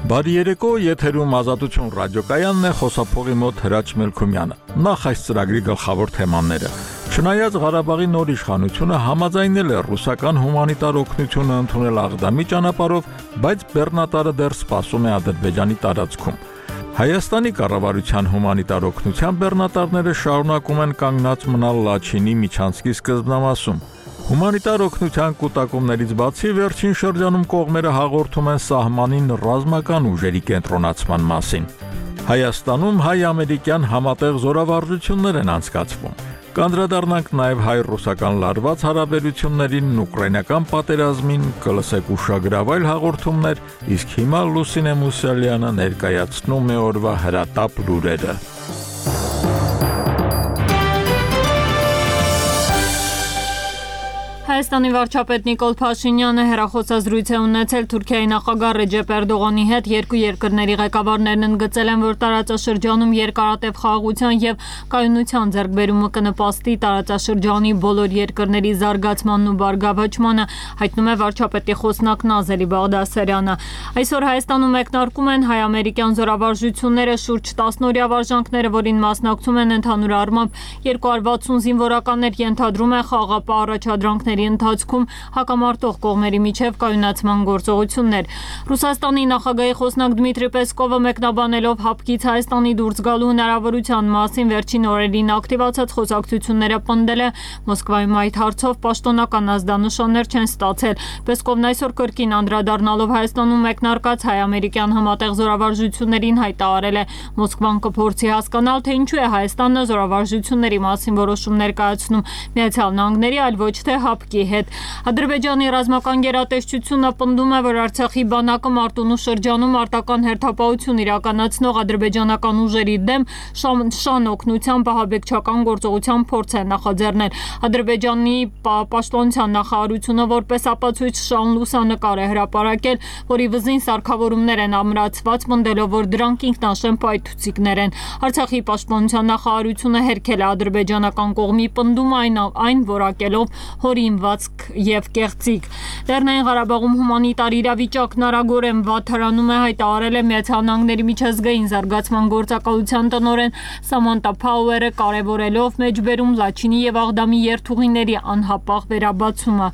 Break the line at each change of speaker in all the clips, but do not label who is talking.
Բարի երեկո, եթերում Ազատություն ռադիոկայանն է, խոսափողի մոտ Հրաչ Մելքումյանը։ Նախ այս ծրագրի գլխավոր թեմաները։ Չնայած Ղարաբաղի նոր իշխանությունը համաձայնել է ռուսական հումանիտար օգնությունը ընդունել Աղդամի ճանապարհով, բայց բեռնատարը դեռ սպասում է Ադրբեջանի տարածքում։ Հայաստանի կառավարության հումանիտար օգնության բեռնատարները շարունակում են կանգնած մնալ Լաչինի միջանցքի սկզբնամասում։ Հումանիտար օգնության կուտակումներից բացի վերջին շրջանում կողմերը հաղորդում են սահմանին ռազմական ուժերի կենտրոնացման մասին։ Հայաստանում հայ-ամերիկյան համատեղ զորավարժություններ են անցկացվում։ Կանդրադառնանք նաև հայ-ռուսական լարված հարաբերություններին, ուկրաինական պատերազմին, կլսեք ուշագրավայր հաղորդումներ, իսկ հիմա Լուսինե Մուսալյանը ներկայացնում է օրվա հրատապ լուրերը։
Հայաստանի վարչապետ Նիկոլ Փաշինյանը հեռախոսազրույց է ունեցել Թուրքիայի նախագահ Ռեջեփ Էրդողանի հետ։ Երկու երկրների ղեկավարներն ընդգծել են, որ տարածաշրջանում երկարատև խաղաղության եւ կայունության ձեռքբերումը կնպաստի տարածաշրջանի բոլոր երկրների զարգացմանն ու բարգավաճմանը, հայտնում է վարչապետի խոսնակ Նազելի Բաղդասարյանը։ Այսօր Հայաստանում մեկնարկում են հայ-ամերիկյան զորավարժությունները, շուրջ 10 օրյա վարժանքները, որին մասնակցում են ընդհանուր առմամբ 260 զինվորականներ, ենթադրում են խաղաղապահ առաջադրանքների ընթացքում հակամարտող կողմերի միջև կայունացման գործողություններ։ Ռուսաստանի նախագահի խոսնակ Դմիտրի Պեսկովը մեկնաբանելով ՀԱՊԿ-ից Հայաստանի դուրս գալու հնարավորության մասին վերջին օրերին ակտիվացած խոսակցությունները պնդել է Մոսկվայում այդ հարցով պաշտոնական ազդանշաններ չեն ստացել։ Պեսկովն այսօր կրկին անդրադառնալով Հայաստանում մեկնարկած հայ-ամերիկյան համատեղ զորավարժություններին հայտարարել է Մոսկվան կփորձի հասկանալ, թե ինչու է Հայաստանը զորավարժությունների մասին որոշումներ կայացնում Միացյալ Նահանգների, այլ ոչ թե ՀԱՊԿ-ի հետ։ Ադրբեջանի ռազմական գերատեսչությունը պնդում է, որ Արցախի բանակը Մարտունու շրջանում արտական հերթապահություն իրականացնող ադրբեջանական ուժերի դեմ շան օգնությամբ ահաբեկչական գործողության փորձ է նախաձեռնել։ Ադրբեջանի պաշտպանության նախարարությունը որպես ապացույց շան լուսանկար է հրապարակել, որի վզին սարքավորումներ են ամրացված, պնդելով, որ դրանք ինքնաշեն պայթուցիկներ են։ Արցախի պաշտպանության նախարարությունը հերքել է ադրբեջանական կողմի պնդումը, այն որակելով հորինվածք եւ կեղծիք։ Լեռնային Ղարաբաղում հումանիտար իրավիճակն արագորեն վատթարանում է, հայտարարել է Միացյալ Նահանգների միջազգային զարգացման գործակալության տնօրեն Սամանտա Փաուերը, կարևորելով մեջբերում Լաչինի եւ Աղդամի երթուղիների անհապաղ վերաբացումը։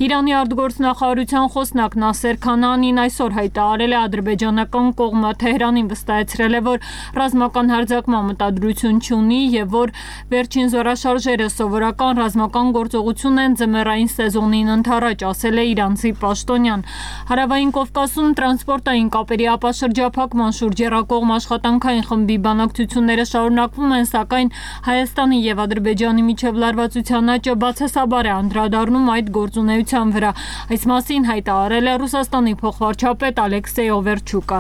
Իրանի արտգործնախարարության խոսնակ Նասեր Քանանին այսօր հայտարարել է, ադրբեջանական կողմը Թեհրանին վստահեցրել է, որ ռազմական հարձակման մտադրություն չունի եւ որ վերջին զորաշարժերը սովորական ռազմական գործողություն են ձմեռային սեզոնին ընդառաջ, ասել է իրանցի պաշտոնյան։ Հարավային Կովկասում տրանսպորտային կապերի ապաշրջափակման շուրջ եռակողմ աշխատանքային խմբի բանակցությունները շարունակվում են, սակայն Հայաստանի եւ Ադրբեջանի միջև լարվածության աճը բացասաբար է անդրադառնում այդ գործունեության վրա։ Այս մասին հայտարարել է Ռուսաստանի փոխվարչապետ Ալեքսեյ Օվերչուկը։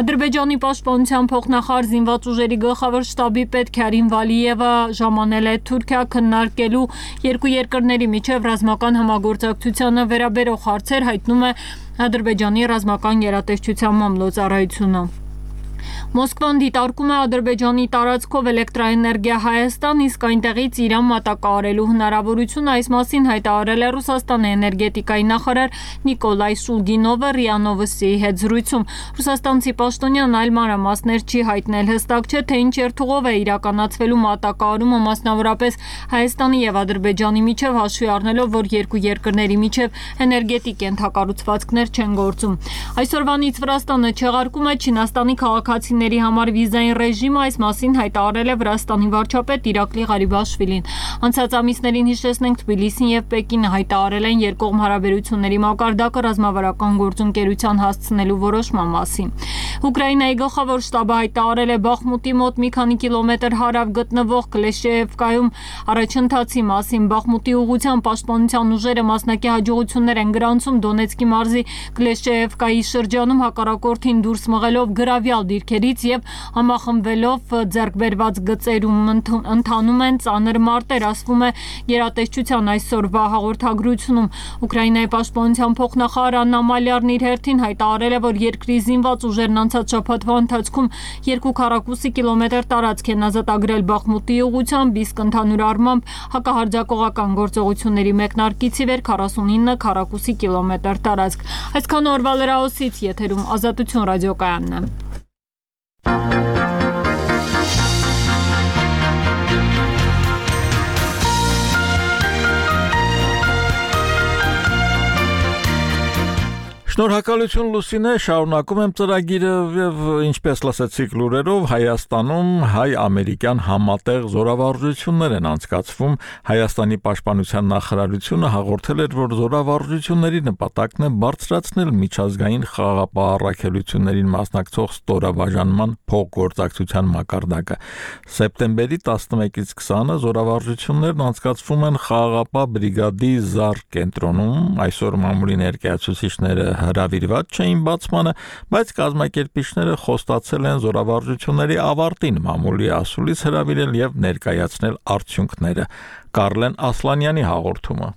Ադրբեջանի պաշտպանության փոխնախարար զինված ուժերի գլխավոր շտաբի պետ Քարիմ Վալիևը ժամանել է Թուրքիա քննարկելու երկու երկրների միջև ռազմական համագործակցությանը վերաբերող հարցեր, հայտնում է Ադրբեջանի ռազմական գերատեսչության մամլոյցարայությունը։ Մոսկվան դիտարկում է Ադրբեջանի տարածքով էլեկտրաէներգիա Հայաստան, իսկ այնտեղից Իրան մատակարարելու հնարավորությունը, այս մասին հայտարարել է Ռուսաստանի էներգետիկայի նախարար Նիկոլայ Շուլգինովը ՌԻԱ Նովոստիի հետ զրույցում։ Ռուսաստանցի պաշտոնյան այլ մանրամասներ չի հայտնել, հստակ չէ, թե ինչ երթուղով է իրականացվելու մատակարարումը, մասնավորապես Հայաստանի եւ Ադրբեջանի միջև, հաշվի առնելով, որ երկու երկրների միջև էներգետիկ ենթակառուցվածքներ չեն գործում։ Այսօրվանից Վրաստանը չեղարկում է Չինաստանի քաղաքացիների համար վիզային ռեժիմը, այս մասին հայտարարել է Վրաստանի վարչապետ Իրակլի Ղարիբաշվիլին։ Անցած ամիսներին, հիշեցնենք, Թբիլիսին եւ Պեկինը հայտարարել են երկկողմ հարաբերությունների մակարդակը ռազմավարական գործընկերության հասցնելու որոշման մասին։ Ուկրաինայի գլխավոր շտաբը հայտարարել է Բախմուտի մոտ մի քանի կիլոմետր հարավ գտնվող Կլեշեևկայում առաջընթացի մասին։ Բախմուտի ուղղությամբ պաշտպանության ուժերը մասնակի հաջողություններ են գրանցում Դոնեցկի մարզի Կլեշեևկայի շրջանում հակառակորդին դուրս մղելով գրավյալ դիրքերից եւ համախմբվելով ձեռք բերված գծերում ընթանում են ծանր մարտեր, ասվում է գերատեսչության այսօրվա հաղորդագրությունում։ Ուկրաինայի պաշտպանության փոխնախարար Աննա Մալյարն իր հերթին հայտարարել է, որ երկրի զինված ուժերն անցած շաբաթվա ընթացքում 2 քառակուսի կիլոմետր տարածք են ազատագրել Բախմուտի ուղղությամբ, իսկ ընդհանուր առմամբ հակահարձակողական գործողությունների մեկնարկից ի վեր 49 քառակուսի կիլոմետր տարածք։ Այսքան օրվա լրահոսից եթերում Ազատություն ռադիոկայանն է։
Շնորհակալություն Լուսինե, շարունակում եմ ծրագիրը եւ ինչպես լսեցիք լուրերով Հայաստանում հայ-ամերիկյան համատեղ զորավարժություններ են անցկացվում։ Հայաստանի պաշտպանության նախարարությունը հաղորդել էր, որ զորավարժությունների նպատակն է բարձրացնել միջազգային խաղաղապահ-առաքելություններին մասնակցող ստորաբաժանման փոխգործակցության մակարդակը։ Սեպտեմբերի 11-ից 20-ը զորավարժություններն անցկացվում են խաղաղապահ բրիգադի ԶԱՌ կենտրոնում, այսօր մամուլի ներկայացուցիչները հրավիրված չէին բացմանը, բայց կազմակերպիչները խոստացել են զորավարժությունների ավարտին մամուլի ասուլիս հրավիրել եւ ներկայացնել արդյունքները։ Կարլեն Ասլանյանի հաղորդումը։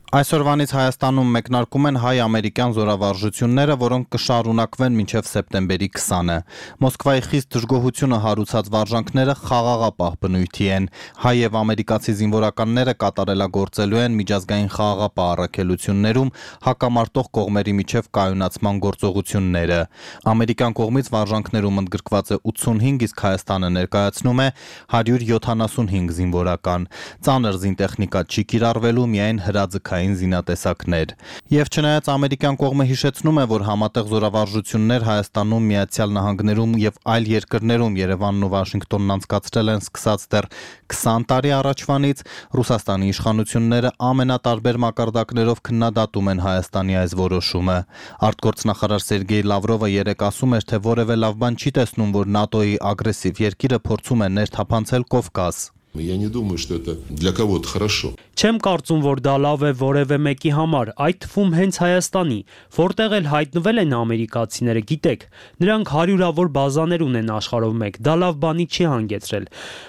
Այսօրվանից Հայաստանում մեկնարկում են հայ-ամերիկյան զորավարժությունները, որոնք կշարունակվեն մինչև սեպտեմբերի 20-ը։ Մոսկվայի խիստ դժգոհությունը հարուցած վարժանքները խաղաղապահ բնույթի են։ Հայ եւ ամերիկացի զինվորականները կատարելագործելու են միջազգային խաղաղապահ առաքելություններում հակամարտող կողմերի միջև կայունացման գործողությունները։ Ամերիկյան կողմից վարժանքներում ընդգրկված է 85, իսկ Հայաստանը ներկայացնում է 175 զինվորական։ Ծանր զինտեխնիկա չի կիրառվելու, միայն հրաձգային զինատեսակներ։ Եվ չնայած ամերիկյան կողմը հիշեցնում է, որ համատեղ զորավարժություններ Հայաստանում, Միացյալ Նահանգներում եւ այլ երկրներում Երևանն ու Վաշինգտոնն անցկացրել են սկսած դեռ 20 տարի առաջվանից, Ռուսաստանի իշխանությունները ամենատարբեր մակարդակներով քննադատում են Հայաստանի այս որոշումը։ Արտգործնախարար Սերգեյ Լավրովը երեկ ասում էր, թե որևէ լավ բան չի տեսնում, որ ՆԱՏՕ-ի ագրեսիվ երկիրը փորձում է ներթափանցել Կովկաս։
Я не думаю, что это для кого-то хорошо.
Չեմ կարծում, որ դա լավ է որևէ մեկի համար, այդ թվում հենց Հայաստանի, որտեղ էլ հայտնվել են ամերիկացիները, գիտեք, նրանք հարյուրավոր բազաներ ունեն աշխարհով մեկ, դա լավ բանի չի հանգեցրել։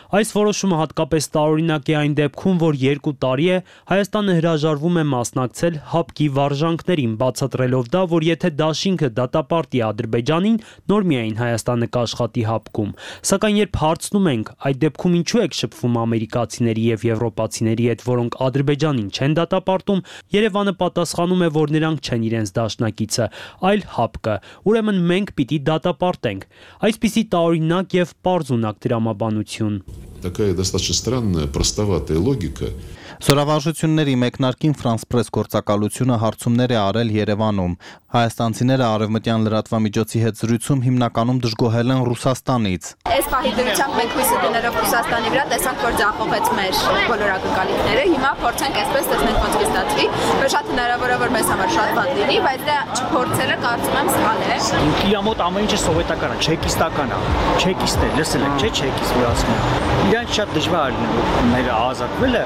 Այս որոշումը հատկապես տարօրինակ է այն դեպքում, որ 2 տարի է Հայաստանը հրաժարվում է մասնակցել ՀԱՊԿ-ի վարժանքներին, բացատրելով դա, որ եթե դաշինքը դատապարտի Ադրբեջանին, նոր միայն Հայաստանը կաշխատի ՀԱՊԿ-ում։ Սակայն երբ հարցնում ենք, այդ դեպքում ինչու եք շփվում ամերիկացիների եւ եվրոպացիների հետ, որոնք Ադրբեջանին չեն դատապարտում, Երևանը պատասխանում է, որ նրանք չեն իրենց դաշնակիցը, այլ ՀԱՊԿ-ը, ուրեմն մենք պիտի դատապարտենք։ Այսպիսի տարօրինակ եւ պարզունակ դրամաբանություն։
Такая достаточно странная, простоватая логика.
Զորավարժությունների մեկնարկին France Press գործակալությունը հարցումներ է արել Երևանում։ Հայաստանցիները արևմտյան լրատվամիջոցի հետ զրույցում հիմնականում դժգոհել են Ռուսաստանից։
Այս պահի դրությամբ մենք հույսը դնելով Ռուսաստանի վրա տեսանք, որ ձախողեց մեր բոլոր ակնկալիքները։ Հիմա փորձենք այսպես տեսնենք ոնց կստացվի։ Որ շատ հնարավոր է, որ մեզ համար շատ բան լինի, բայց դա չփորձելը կարծում եմ սխալ է։
Ինքնի մոտ ամեն ինչը սովետական է, չեկիստական է։ Չեկիստ է, լսել եք, չէ՞ չեկիստ որ ասում են։ Իրանք շատ դժվար է մեր ազատվելը,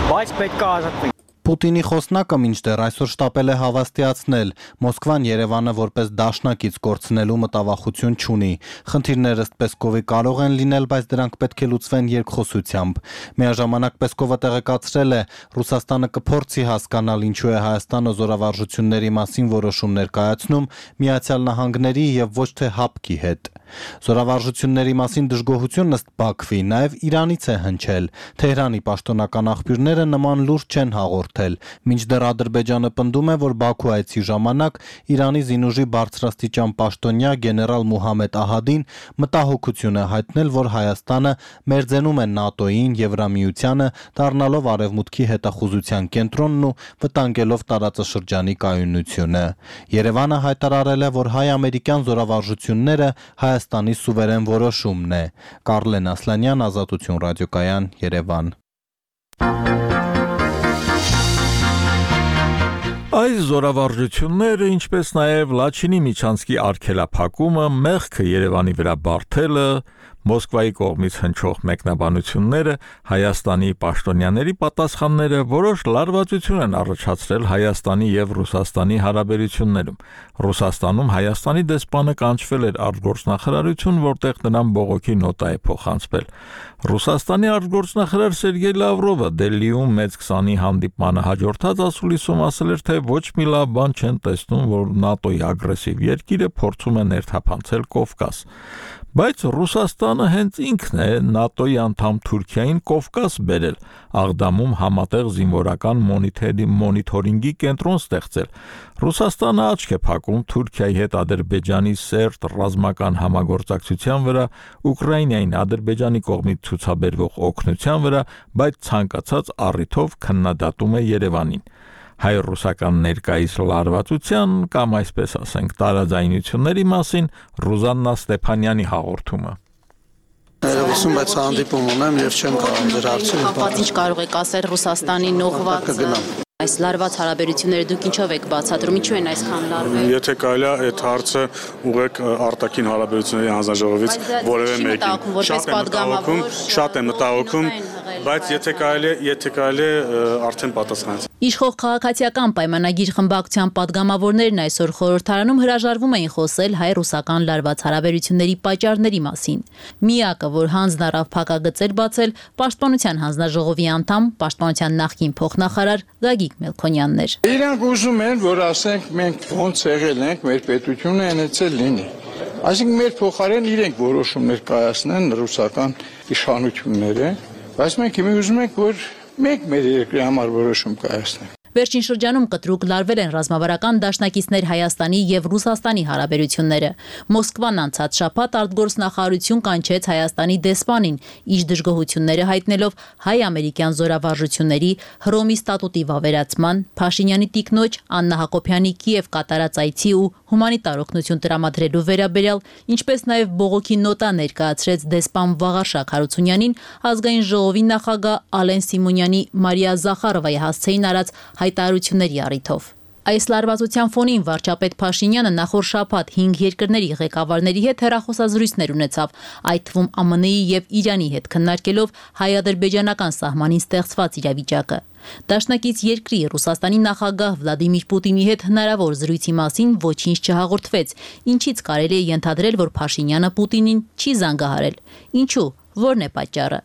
բայց պետք է ազատվենք։
Պուտինի խոսնակը մինչդեռ այսօր շտապել է հավաստիացնել, Մոսկվան Երևանը որպես դաշնակից կորցնելու մտավախություն չունի։ Խնդիրները ըստ Պեսկովի կարող են լինել, բայց դրանք պետք է լուծվեն երկխոսությամբ։ Միաժամանակ Պեսկովը տեղեկացրել է, Ռուսաստանը կփորձի հասկանալ ինչու է Հայաստանը զորավարժությունների մասին որոշում ներկայացնում Միացյալ Նահանգների եւ ոչ թե ՀԱՊԿ-ի հետ։ Զորավարժությունների մասին դժգոհությունն ըստ Բաքվի նաև Իրանից է հնչել։ Թեհրանի պաշտոնական աղբյուրները նման լուրջ չեն հաղորդել, մինչդեռ Ադրբեջանը պնդում է, որ Բաքու այցի ժամանակ Իրանի զինուժի բարձրաստիճան պաշտոնյա գեներալ Մուհամեդ Ահադին մտահոգություն է հայտնել, որ Հայաստանը մերձենում է ՆԱՏՕ-ին, Եվրամիությանը, դառնալով Արևմուտքի հետախուզության կենտրոնն ու վտանգելով տարածաշրջանի կայունությունը։ Երևանը հայտարարել է, որ հայ-ամերիկյան զորավարժությունները Հայաստանի սուվերեն որոշումն է։ Կարլեն Ասլանյան, Ազատություն ռադիոկայան, Երևան։
Այս զորավարժությունները, ինչպես նաև Լաչինի միջանցքի արգելափակումը, մեղքը Երևանի վրա բարթելը, Մոսկվայի կողմից հնչող մեկնաբանությունները, Հայաստանի պաշտոնյաների պատասխանները որոշ լարվածություն են առաջացրել Հայաստանի եւ Ռուսաստանի հարաբերություններում։ Ռուսաստանում Հայաստանի դեսպանը կանչվել էր արտգործնախարարություն, որտեղ նրան բողոքի նոտա է փոխանցվել։ Ռուսաստանի արտգործնախարար Սերգեյ Լավրովը Դելիում մեծ 20-ի հանդիպմանը հաջորդած ասուլիսում ասել էր, թե ոչ մի լավ բան չեն տեսնում, որ ՆԱՏՕ-ի ագրեսիվ երկիրը փորձում է ներթափանցել Կովկաս։ Բայց Ռուսաստանը հենց ինքն է ՆԱՏՕ-ի անդամ Թուրքիային Կովկաս բերել, Աղդամում համատեղ զինվորական մոնիթորինգի կենտրոն ստեղծել։ Ռուսաստանը աչք է փակում Թուրքիայի հետ Ադրբեջանի սերտ ռազմական համագործակցության վրա, Ուկրաինային Ադրբեջանի կողմից ցուցաբերվող օգնության վրա, բայց ցանկացած առիթով քննադատում է Երևանին։ Հայ-ռուսական ներկայիս լարվածության կամ այսպես ասենք տարաձայնությունների մասին Ռուզաննա Ստեփանյանի հաղորդումը։
Ներողություն, բայց հանդիպում ունեմ եւ չեմ կարող դեր հարցնել։
Կապված ինչ կարող եք ասել Ռուսաստանի նողվածը։ Այս լարված հարաբերությունները դուք ինչով եք բացատրում, ինչու են այսքան լարվել։
Եթե կարելի է այդ հարցը ուղղեք արտաքին հարաբերությունների հանձնաժողովից որևէ մեկին։ Շատ եմ մտահոգում, բայց եթե կարելի է արդեն պատասխանեցի։
Իշխող քաղաքացիական պայմանագիր խմբակցության падգամավորներն այսօր խորհրդարանում հրաժարվում էին խոսել հայ-ռուսական լարված հարաբերությունների պատճառների մասին։ Միակը, որ հանձն առավ փակագծեր բացել, Պաշտպանության հանձնաժողովի անդամ, Պաշտպանության նախկին փոխնախարար Գագիկ Մելքոնյանն էր։
Իրանք ուզում են, որ ասենք մենք ոնց եղել ենք, մեր պետությունը այնեցել լինի։ Այսինքն մեր փոխարեն իրենք որոշումներ կայացնեն ռուսական իշխանությունները, բայց մենք հիմա ուզում ենք, որ մենք մեր երկրի համար որոշում կայացնենք։
Վերջին շրջանում կտրուկ լարվել են ռազմավարական դաշնակիցներ Հայաստանի եւ Ռուսաստանի հարաբերությունները։ Մոսկվան անցած շաբաթ արտգործնախարարություն կանչեց Հայաստանի դեսպանին, իր դժգոհությունները հայտնելով հայ-ամերիկյան զորավարժությունների Հռոմի ստատուտի վավերացման, Փաշինյանի տիկնոջ Աննա Հակոբյանի Կիև կատարած այցի ու հումանիտար օգնություն տրամադրելու վերաբերյալ, ինչպես նաեւ բողոքի նոտա ներկայացրեց դեսպան Վաղարշակ Հարությունյանին, ազգային ժողովի նախագահ Ալեն Սիմոնյանի Մարիա Զախարովայի հասցեին արած հայտարարությունների առիթով։ Այս լարվածության ֆոնին վարչապետ Փաշինյանը նախորդ շաբաթ 5 երկրների ղեկավարների հետ հեռախոսազրույցներ ունեցավ, այդ թվում ԱՄՆ-ի եւ Իրանի հետ քննարկելով հայ-ադրբեջանական սահմանին ստեղծված իրավիճակը։ Դաշնակից երկրի Ռուսաստանի նախագահ Վլադիմիր Պուտինի հետ հնարավոր զրույցի մասին ոչինչ չհաղորդվեց, ինչից կարելի է ենթադրել, որ Փաշինյանը Պուտինին չի զանգահարել։ Ինչու՞, ո՞րն է պատճառը։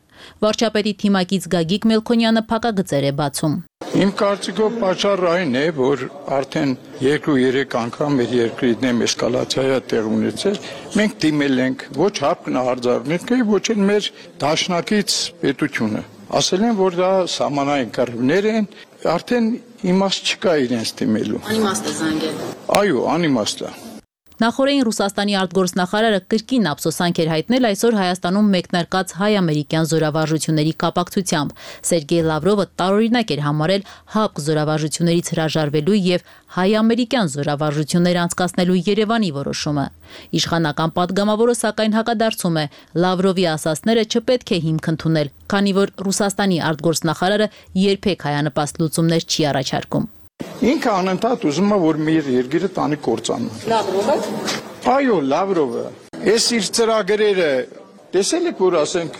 Վարչապետի թիմակից Գագիկ Մելքոնյանը փակագծեր է բացում։
Իմ կարծիքով պատճառը այն է, որ արդեն 2-3 անգամ մեր երկրի դեմ էսկալացիա տեղ ունեցել, մենք դիմել ենք ոչ հապկնահարձակնիկը, ոչ էլ մեր դաշնակից պետությունը։ Ասել են, որ դա սահմանային կռիվներ են, արդեն իմաստ չկա իրենց դիմելու։
Անիմաստ է զանգել։
Այո, անիմաստ է։
Նախորդին Ռուսաստանի արտգործնախարարը կրկին ափսոսանք էր հայտնել այսօր Հայաստանում մեկնարկած հայ-ամերիկյան զորավարժությունների կապակցությամբ։ Սերգեյ Լավրովը տարօրինակ էր համարել ՀԱՊԿ զորավարժություններից հրաժարվելու եւ հայ-ամերիկյան զորավարժություններ անցկացնելու Երևանի որոշումը։ Իշխանական падգամավորը սակայն հակադարձում է, Լավրովի ասածները չպետք է հիմք ընդունել, քանի որ Ռուսաստանի արտգործնախարարը երբեք հայանպաստ լուծումներ չի առաջարկում։
Ինքը անընդհատ ուզում է, որ մեր երկիրը տանի կործանան։
Լավրովը։
Այո, Լավրովը։ Այս իր ծրագրերը տեսել եք, որ ասենք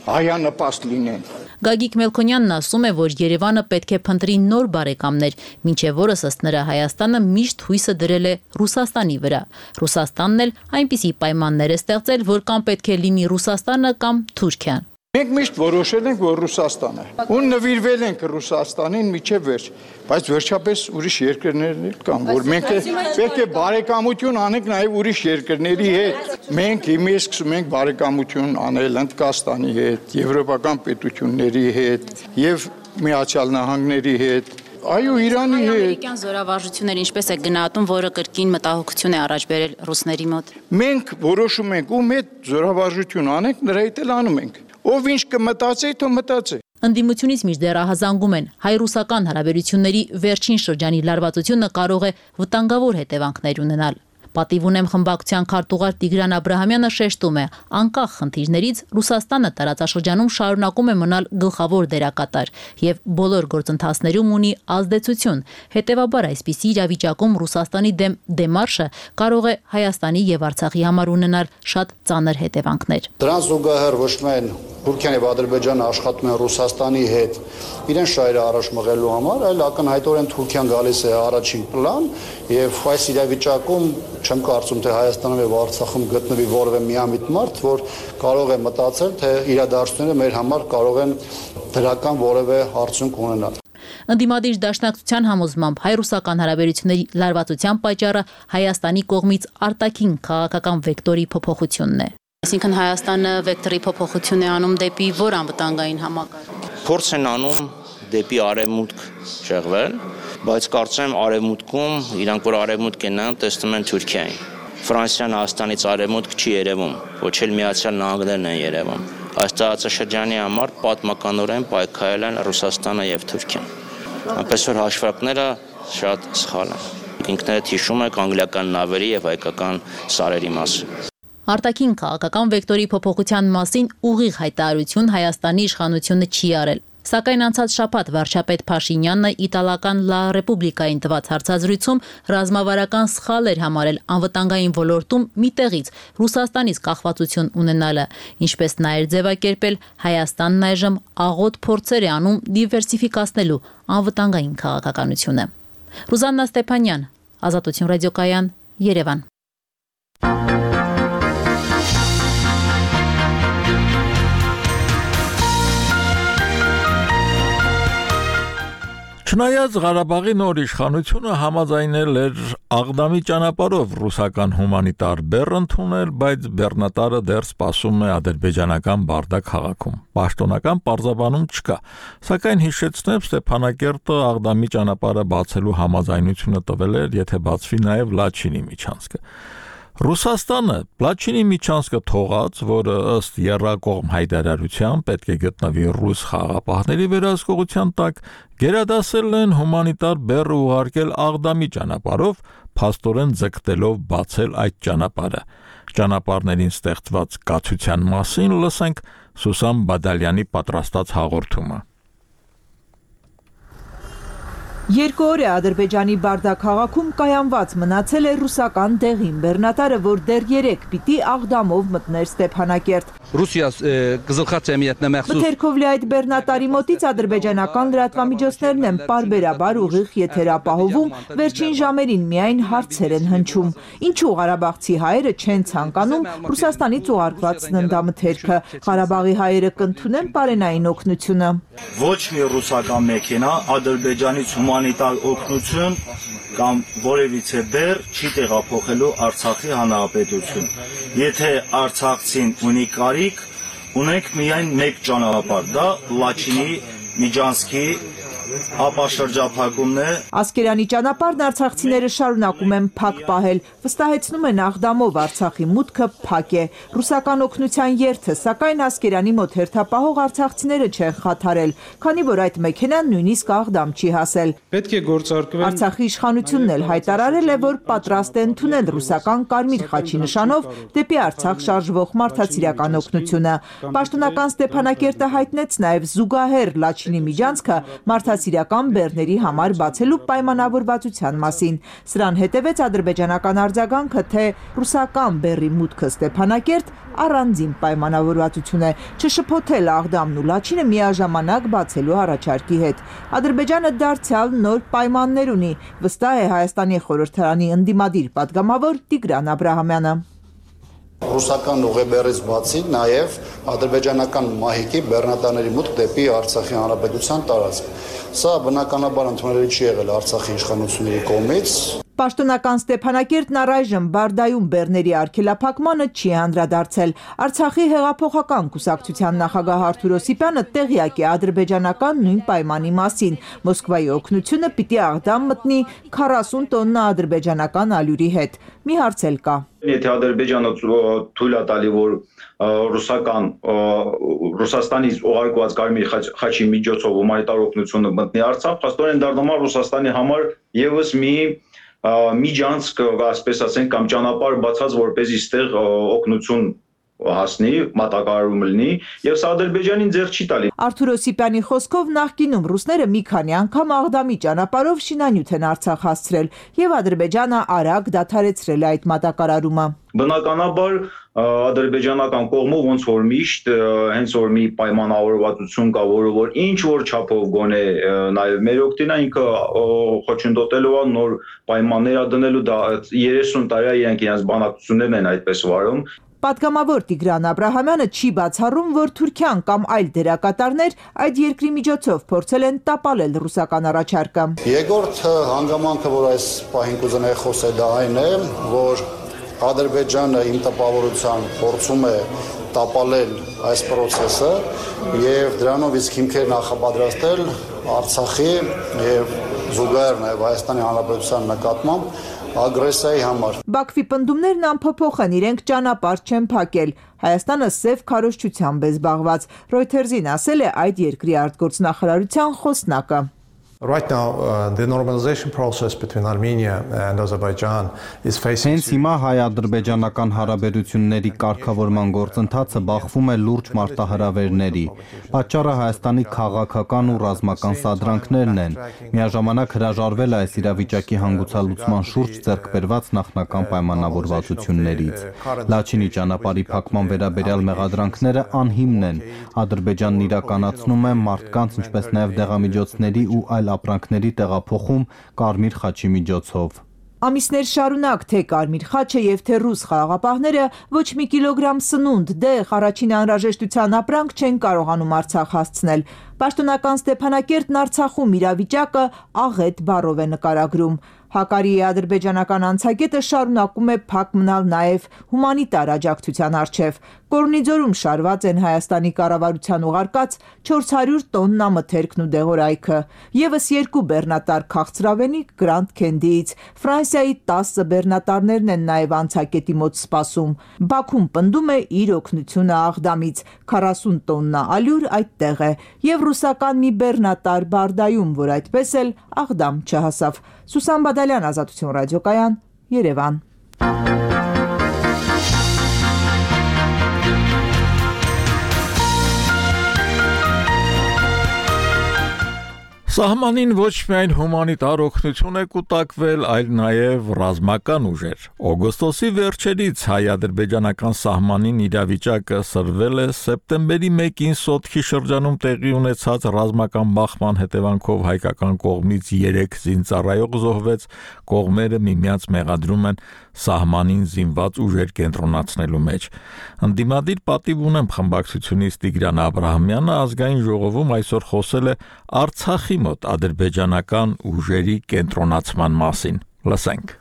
հայանպաստ լինեն։
Գագիկ Մելքոնյանն ասում է, որ Երևանը պետք է փնտրի նոր բարեկամներ, մինչև որս ըստ նրա Հայաստանը միշտ հույսը դրել է Ռուսաստանի վրա։ Ռուսաստանն էլ այնպիսի պայմաններ է ստեղծել, որ կամ պետք է լինի Ռուսաստանը կամ Թուրքիան։
Մենք միշտ որոշել ենք, որ Ռուսաստան է։ Ու նվիրվել ենք Ռուսաստանին միջև վերջ, բայց վերջապես ուրիշ երկրներ կան, որ մենք պետք է բարեկամություն անենք նաև ուրիշ երկրների հետ։ Մենք հիմա սկսում ենք բարեկամություն անել Հնդկաստանի հետ, եվրոպական պետությունների հետ եւ Միացյալ Նահանգների հետ։ Այո, Իրանի հետ։
Ամերիկյան զորավարժությունները ինչպես է գնահատում, որը կրկին մտահոգություն է առաջ բերել ռուսների մոտ։
Մենք որոշում ենք ում հետ զորավարժություն անենք, նրա հետ էլ անում ենք։ Ով ինչ կմտածի, թող մտածի։
Ընդդիմությունից մինչդեռ ահազանգում են հայ-ռուսական հարաբերությունների վերջին շրջանի լարվածությունը կարող է վտանգավոր հետևանքներ ունենալ։ Պատիվ ունեմ խմբակցության քարտուղար Տիգրան Աբրահամյանը շեշտում է, անկախ խնդիրներից Ռուսաստանը տարածաշրջանում շարունակում է մնալ գլխավոր դերակատար եւ բոլոր գործընթացներում ունի ազդեցություն։ Հետևաբար այսպիսի իրավիճակում Ռուսաստանի դեմ դեմարշը կարող է Հայաստանի եւ Արցախի համար ունենալ շատ ծանր հետևանքներ։
Դրան զուգահեռ ոչ միայն Թուրքիան եւ Ադրբեջանը աշխատում են Ռուսաստանի հետ իրեն շահերը առաջ մղելու համար, այլ ակնհայտորեն Թուրքիան գալիս է առաջին պլան եւ այս իրավիճակում չեմ կարծում թե Հայաստանում եւ Արցախում գտնվի որևէ միամիտ մարդ, որ կարող է մտածել, թե իրադարձությունները մեր համար կարող են դրական որևէ արդյունք ունենալ։
Ընդդիմադիր դաշնակցության համոզմամբ հայ-ռուսական հարաբերությունների լարվածության պատճառը Հայաստանի կողմից արտաքին քաղաքական վեկտորի փոփոխությունն է։ Այսինքն Հայաստանը վեկտորի փոփոխություն է անում դեպի որ անվտանգային համակարգ։
Փորձ են անում դեպի արևմուտք շեղվել, բայց կարծեմ արևմուտքում իրանք որ արևմուտք են նայում, տեսնում են Թուրքիային։ Ֆրանսիան Հայաստանից արևմուտք չի երևում, ոչ էլ Միացյալ Նահանգներն են երևում։ Այս տարածաշրջանի համար պատմականորեն պայքարել են Ռուսաստանը եւ Թուրքիան։ Այնպես որ հաշվարկները շատ սխալ են։ Ինքներդ հիշում եք անգլիական նավերի եւ հայկական սարերի մասին։
Արտաքին քաղաքական վեկտորի փոփոխության մասին ուղիղ հայտարարություն Հայաստանի իշխանությունը չի արել։ Սակայն անցած շաբաթ վարչապետ Փաշինյանը իտալական Լա Ռեպուբլիկային տված հարցազրույցում ռազմավարական սխալ էր համարել անվտանգային ոլորտում մի տեղից Ռուսաստանից կախվածություն ունենալը, ինչպես նաև ձևակերպել Հայաստանն այժմ աղոտ փորձեր է անում դիվերսիֆիկացնելու անվտանգային քաղաքականությունը։ Ռուզաննա Ստեփանյան, Ազատություն ռադիոկայան, Երևան։
Չնայած Ղարաբաղի նոր իշխանությունը համաձայնել էր Աղդամի ճանապարհով ռուսական հումանիտար բեռ ընդունել, բայց բեռնատարը դեռ սպասում է ադրբեջանական Բարդա քաղաքում։ Պաշտոնական պարզաբանում չկա, սակայն հիշեցնեմ Ստեփանակերտը Աղդամի ճանապարհը բացելու համաձայնությունը տվել էր, եթե բացվի նաև Լաչինի միջանցքը։ Ռուսաստանը Լաչինի միջանցքը թողած, որը ըստ եռակողմ հայտարարության պետք է գտնվի ռուս խաղաղապահների վերահսկողության տակ, գերադասել են հումանիտար բեռը ուղարկել Աղդամի ճանապարհով, փաստորեն ձգտելով բացել այդ ճանապարհը։ Ճանապարհներին ստեղծված կացության մասին լսենք Սուսան Բադալյանի պատրաստած հաղորդումը։
Երկու օր է Ադրբեջանի Բարդա քաղաքում կայանված մնացել է ռուսական դեղին բեռնատարը, որ դեռ 3 պիտի Աղդամով մտներ Ստեփանակերտ։
Ռուսիա գզլխացիամիետնա մախսուս
Մթերքովլի այդ բեռնատարի մոտից ադրբեջանական լրատվամիջոցներն են պարբերաբար ուղիղ եթերապահովում, վերջին ժամերին միայն հարցեր են հնչում։ Ինչու ղարաբաղցի հայերը չեն ցանկանում Ռուսաստանից ուղարկված սննդամթերքը, Ղարաբաղի հայերը կընդունեն պարենային օգնությունը։
Ոչ մի ռուսական մեքենա Ադրբեջանից հումանիտար օգնություն կամ որևիցե բեռ չի տեղափոխելու Արցախի հանրապետություն։ Եթե արցախցին ունի կարիք, ունենք միայն մեկ ճանապարհ, դա Լաչինի միջանցքի ապաշրջափակումն է։
Ասկերանի ճանապարհն արցախցիները շարունակում են փակ պահել, վստահեցնում են Աղդամով Արցախի մուտքը փակ է։ Ռուսական օգնության երթը, սակայն Ասկերանի մոտ հերթապահող արցախցիները չեն խաթարել, քանի որ այդ մեքենան նույնիսկ Աղդամ չի հասել։
Պետք է գործարկվեն։
Արցախի իշխանությունն էլ հայտարարել է, որ պատրաստ է ընդունել ռուսական կարմիր խաչի նշանով դեպի Արցախ շարժվող մարդասիրական օգնությունը։ Պաշտոնական Ստեփանակերտը հայտնեց նաև զուգահեռ Լաչինի միջանցքը մարդասիրական բեռների համար բացելու պայմանավորվածության մասին։ Սրան հետևեց ադրբեջանական արձագանքը, թե ռուսական բեռի մուտքը Ստեփանակերտ առանձին պայմանավորվածություն է, չշփոթել Աղդամն ու Լաչինը միաժամանակ բացելու առաջարկի հետ։ Ադրբեջանը դարձյալ նոր պայմաններ ունի, վստահ է Հայաստանի խորհրդարանի ընդդիմադիր падգամավոր Տիգրան Աբրահամյանը։
Ռուսական ուղեբեռից բացի նաև ադրբեջանական մահիկի բեռնատարների մուտք դեպի Արցախի հանրապետության տարածք։ Սա բնականաբար ընդունելի չի եղել Արցախի իշխանությունների կողմից։
Պաշտոնական Ստեփանակերտն առայժմ Բարդայում բեռների արգելափակմանը չի անդրադարձել։ Արցախի հեղափոխական կուսակցության նախագահ Արթուր Օսիպյանը տեղյակ է ադրբեջանական նույն պայմանի մասին։ Մոսկվայի օգնությունը պիտի Աղդամ մտնի 40 տոննա ադրբեջանական ալյուրի հետ։ Մի հարց էլ կա։
Եթե Ադրբեջանը թույլ է տալի, որ Ռուսաստանից ուղարկված կարմիր խաչի միջոցով հումանիտար օգնությունը մտնի Արցախ, փաստորեն դառնում է Ռուսաստանի համար եւս մի
միջանցք, ասպես ասենք, կամ ճանապարհ բացած, որպեսզի այստեղ օգնություն հասնի, մատակարարում լինի, եւ սա Ադրբեջանին ձեռ չի տալի։
Արթուր Օսիպյանի խոսքով նախկինում ռուսները մի քանի անգամ Աղդամի ճանապարհով շինանյութ են Արցախ հասցրել եւ Ադրբեջանը արագ դադարեցրել է այդ մատակարարումը։
Բնականաբար ադրբեջանական կողմը ոնց որ միշտ հենց որ մի պայմանավորվածություն կա, որը որ ինչ որ չափով գոնե նաեւ մեր օգտին է, ինքը խոչընդոտելու է նոր պայմաններ դնելու, դա 30 տարի է իրենք բանակցություններն են այդպես վարում։
Պատգամավոր Տիգրան Աբրահամյանը չի բացառում, որ Թուրքիան կամ այլ դերակատարներ այդ երկրի միջոցով փորձել են տապալել ռուսական առաջարկը։
Երկրորդ հանգամանքը, որ այս պահին կուզենայի խոսել, դա այն է, որ Ադրբեջանը իմ տպավորությամբ փորձում է տապալել այս process-ը եւ դրանով իսկ հիմքեր նախապատրաստել Արցախի եւ զուգահեռ նաեւ Հայաստանի Հանրապետության նկատմամբ ագրեսիայի համար։
Բաքվի պնդումներն անփոփոխ են, իրենք ճանապարհ չեն փակել։ Հայաստանը սև քարոզչությամբ է զբաղված։ Reuters-ին ասել է այդ երկրի արտգործնախարարության խոսնակը։
Right now, the normalization process between Armenia and Azerbaijan is facing.
Հենց հիմա հայ-ադրբեջանական հարաբերությունների կարգավորման գործընթացը բախվում է լուրջ մարտահրավերների։ Պատճառը Հայաստանի քաղաքական ու ռազմական սադրանքներն են։ Միաժամանակ հրաժարվել է այս իրավիճակի հանգուցալուծման շուրջ ձեռք բերված նախնական պայմանավորվածություններից։ Լաչինի ճանապարհի փակման վերաբերյալ մեղադրանքները անհիմն են։ Ադրբեջանն իրականացնում է մարդկանց, ինչպես նաև դեղամիջոցների ու այլ ապրանքների տեղափոխում Կարմիր խաչի միջոցով։
Ամիսներ շարունակ թե Կարմիր խաչը եւ թե ռուս խաղաղապահները ոչ մի կիլոգրամ սնունդ, դեղ, առաջին անհրաժեշտության ապրանք չեն կարողանում Արցախ հասցնել։ Պաշտոնական Ստեփանակերտն Արցախում իրավիճակը աղետ բառով է նկարագրում։ Հակարիի ադրբեջանական անցագետը շարունակում է փակ մնալ նաև հումանիտար աջակցության առջև։ Կորնիձորում շարված են Հայաստանի կառավարության ուղարկած 400 տոննա մթերքն ու դեղորայքը, եւս 2 բեռնատար քաղցրավենիք Grand Candy-ից։ Ֆրանսիայի 10 բեռնատարներն են նաև անցագետի մոտ սպասում։ Բաքուն պնդում է իր օգնությունը Աղդամից, 40 տոննա ալյուր այդտեղ է, եւ ռուսական մի բեռնատար Բարդայում, որ այդպես էլ Աղդամ չհասավ։ Սուսան Բադալյան, Ազատություն ռադիոկայան, Երևան։
Սահմանին ոչ միայն հումանիտար օգնություն է կուտակվել, այլ նաև ռազմական ուժեր։ Օգոստոսի վերջերից հայ-ադրբեջանական սահմանին իրավիճակը սրվել է սեպտեմբերի 1-ին Սոտքի շրջանում տեղի ունեցած ռազմական բախման հետևանքով հայկական կողմից 3 զինծառայող զոհվեց, կողմերը միմյանց մեղադրում են սահմանին զինված ուժեր կենտրոնացնելու մեջ։ Ընդդիմադիր պատիվ ունեմ խմբակցությունից Տիգրան Աբրահամյանը ազգային ժողովում այսօր խոսել է Արցախի մոտ ադրբեջանական ուժերի կենտրոնացման մասին։ Լսենք։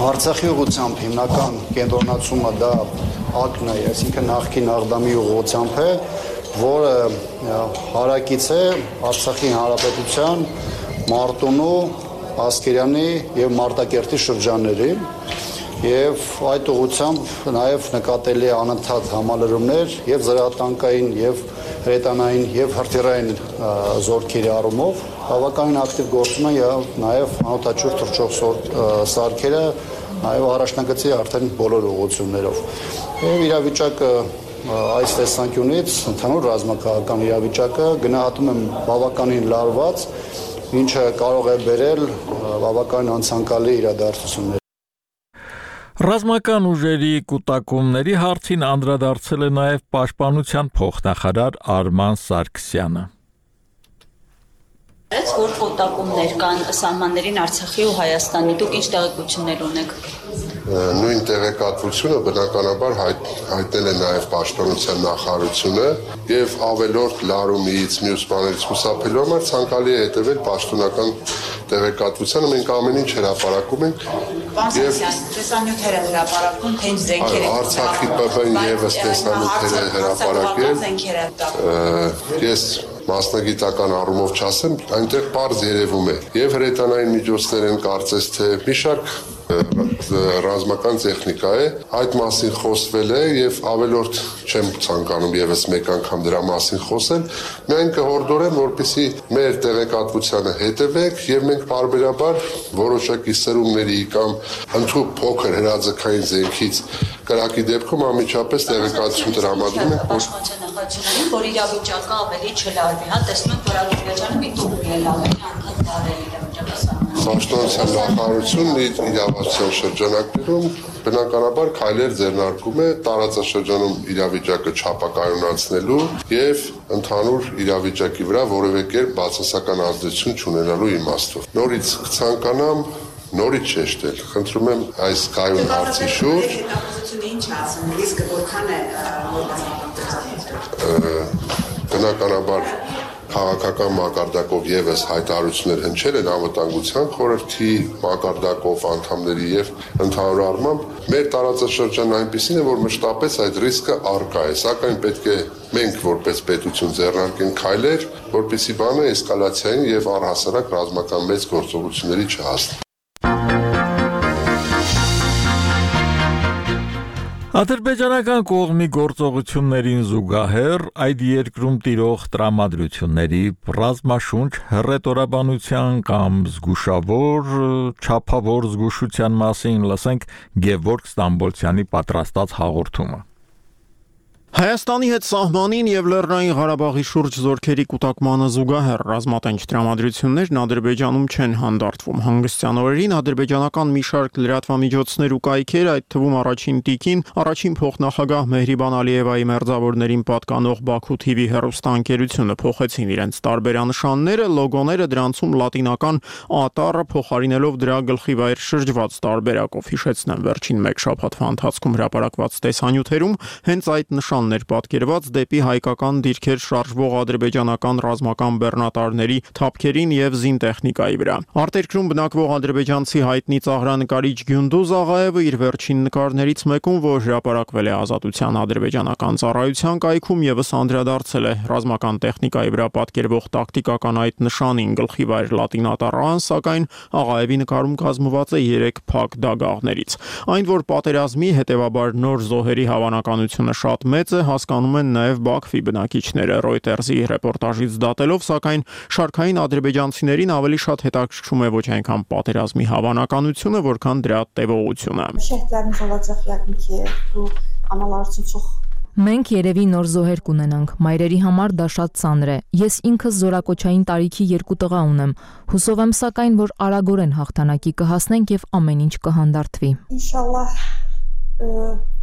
Արցախի ուղղությամբ հիմնական կենտրոնացումը դա ակն է, այսինքն նախկին Աղդամի ուղղությամբ է, որը հարակից է Արցախի հանրապետության Մարտունու, Ասկերյանի եւ Մարտակերտի շրջաններին եւ այդ ուղղությամբ նաեւ նկատելի է անընդհատ համալրումներ եւ զրահատանկային եւ հրետանային եւ հրթիռային զորքերի առումով բավականին ակտիվ գործում են եւ նաեւ անօթաչուր թռչող սարքերը նաեւ առաջնագծի արդեն բոլոր ուղղություններով եւ իրավիճակը այս տեսանկյունից ընդհանուր ռազմաքաղաքական իրավիճակը գնահատում եմ բավականին լարված, ինչը կարող է բերել բավական անցանկալի իրադարձություններ։
Ռազմական ուժերի կուտակումների հարցին անդրադարձել է նաև պաշտպանության փոխնախարար Արման Սարգսյանը։
Որ կուտակումներ կան սահմաններին Արցախի ու Հայաստանի, դուք ինչ տեղեկություններ ունեք։
Նույն տեղեկատվությունը բնականաբար հայտնել է նաև պաշտպանության նախարարությունը եւ ավելորդ լարումից մյուս բաներից խուսափելու համար ցանկալի է հետևել պաշտոնական տեղեկատվությանը, մենք ամեն ինչ հրապարակում ենք
եւ տեսանյութերը հրապարակում, թե ինչ զենքեր են
Արցախի ՊՊ-ն եւս տեսանյութերը հրապարակել։ Ես մասնագիտական առումով չասեմ, այնտեղ պարզ երևում է եւ հրետանային միջոցներ են կարծես թե մի շարք ռազմական տեխնիկա է, այդ մասին խոսվել է եւ ավելորդ չեմ ցանկանում եւս մեկ անգամ դրա մասին խոսել, միայն կհորդորեմ, որպեսզի մեր տեղեկատվությանը հետևեք եւ մենք բարբերաբար որոշակի սերունդների կամ ընդհանուր փոքր հրաձգային զենքից կրակի դեպքում անմիջապես տեղեկատվություն տրամադրում ենք,
որ իրավիճակը ավելի չլարվի, հա, տեսնում եք, որ Ադրբեջանը մի տուր ելավ է, անգամ բարել
Պաշտոնության նախարարությունն իր իրավասության շրջանակներում բնականաբար քայլեր ձեռնարկում է տարածաշրջանում իրավիճակը չափակայունացնելու եւ ընդհանուր իրավիճակի վրա որևէ կերպ բացասական ազդեցություն չունենալու իմաստով։ Նորից կցանկանամ նորից շեշտել, խնդրում եմ այս կայուն հարցի շուրջ բնականաբար քաղաքական մակարդակով եւս հայտարարություններ հնչել են անվտանգության խորհրդի մակարդակով անդամների եւ ընդհանուր առմամբ մեր տարածաշրջանն այնպեսին է, որ մշտապես այդ ռիսկը առկա է, սակայն պետք է մենք որպես պետություն ձեռնարկենք քայլեր, որպեսզի բանը էսկալացիային եւ առհասարակ ռազմական մեծ գործողությունների չհասնի։
Ադրբեջանական կողմի գործողություններին զուգահեռ այդ երկրում տիրող տրամադրությունների ռազմաշունչ հռետորաբանության կամ զգուշավոր չափավոր զգուշության մասին լսենք Գևորգ Ստամբոլցյանի պատրաստած հաղորդումը։
Հայաստանի հետ սահմանին եւ Լեռնային Ղարաբաղի շուրջ զորքերի կուտակմանը զուգահեռ ռազմատենչ տրամադրություններն Ադրբեջանում չեն հանդարտվում։ Հանգստյան օրերին ադրբեջանական մի շարք լրատվամիջոցներ ու կայքեր, այդ թվում առաջին տիկին, առաջին փոխնախագահ Մեհրիբան Ալիևայի մերձավորներին պատկանող Բաքու TV հեռուստաընկերությունը փոխեցին իրենց տարբերանշանները, լոգոները դրանցում լատինական ատարը փոխարինելով դրա գլխիվայր շրջված տարբերակով։ Հիշեցնեմ, վերջին մեկ շաբաթվա ընթացքում հրապարակված տեսանյութերում հենց այդ նշաններ պատկերված դեպի հայկական դիրքեր շարժվող ադրբեջանական ռազմական բեռնատարների թափքերին եւ զինտեխնիկայի վրա։ Արտերկրում բնակվող ադրբեջանցի հայտնի ծաղրանկարիչ Գյունդուզ Աղաևը իր վերջին նկարներից մեկում, որ հրապարակվել է Ազատության ադրբեջանական ծառայության կայքում, եւս անդրադարձել է ռազմական տեխնիկայի վրա պատկերվող տակտիկական այդ նշանին գլխիվայր լատինատարան, սակայն Աղաևի նկարում կազմված է 3 փակ դագաղներից։ Այն, որ պատերազմի, հետեւաբար նոր զոհերի հավանականությունը շատ մեծ է, հասկանում են նաև Բաքվի բնակիչները։ Reuters-ի ռեպորտաժից դատելով, սակայն շարքային ադրբեջանցիներին ավելի շատ հետաքրքրում է ոչ այնքան պատերազմի հավանականությունը, որքան դրա տևողությունը։
Մենք երևի նոր զոհեր կունենանք, մայրերի համար դա շատ ծանր է։ Ես ինքս զորակոչային տարիքի 2 տղա ունեմ։ Հուսով եմ սակայն, որ արագորեն հաղթանակի կհասնենք եւ ամեն ինչ կհանդարտվի։
Ինշալլահ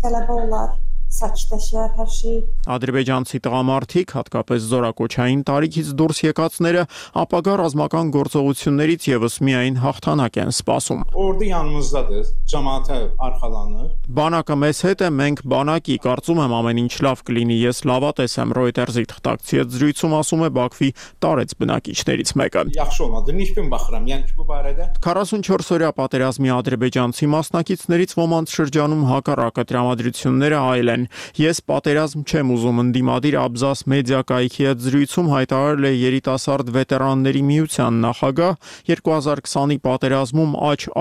գալաբա օլար Սաչտաշար հաշի
Ադրբեջանցի տղամարդիկ, հատկապես զորակոչային տարիքից դուրս եկածները, ապագա ռազմական գործողություններից եւս միայն հաղթանակ են սպասում։
Օրդի yanımızdadır, cemaate arxalanır։
Բանակը մեզ հետ է, մենք բանակի, կարծում եմ ամեն ինչ լավ կլինի, ես լավատես եմ, Reuters-ի թղթակցի հետ զրույցում ասում է Բաքվի տարեց բնակիչներից մեկը։
Yaxşı olmadı, nişbin baxıram, yəni ki bu barədə
44-օրյա պատերազմի ադրբեջանցի մասնակիցներից ոմանց շրջանում հակառակը տրամադրությունները այլ են։ Ես պատերազմ չեմ ուզում, ընդդիմադիր Աբզաս մեդիա կայքի հետ զրույցում հայտարարել է երիտասարդ վետերանների միության նախագահ 2020-ի պատերազմում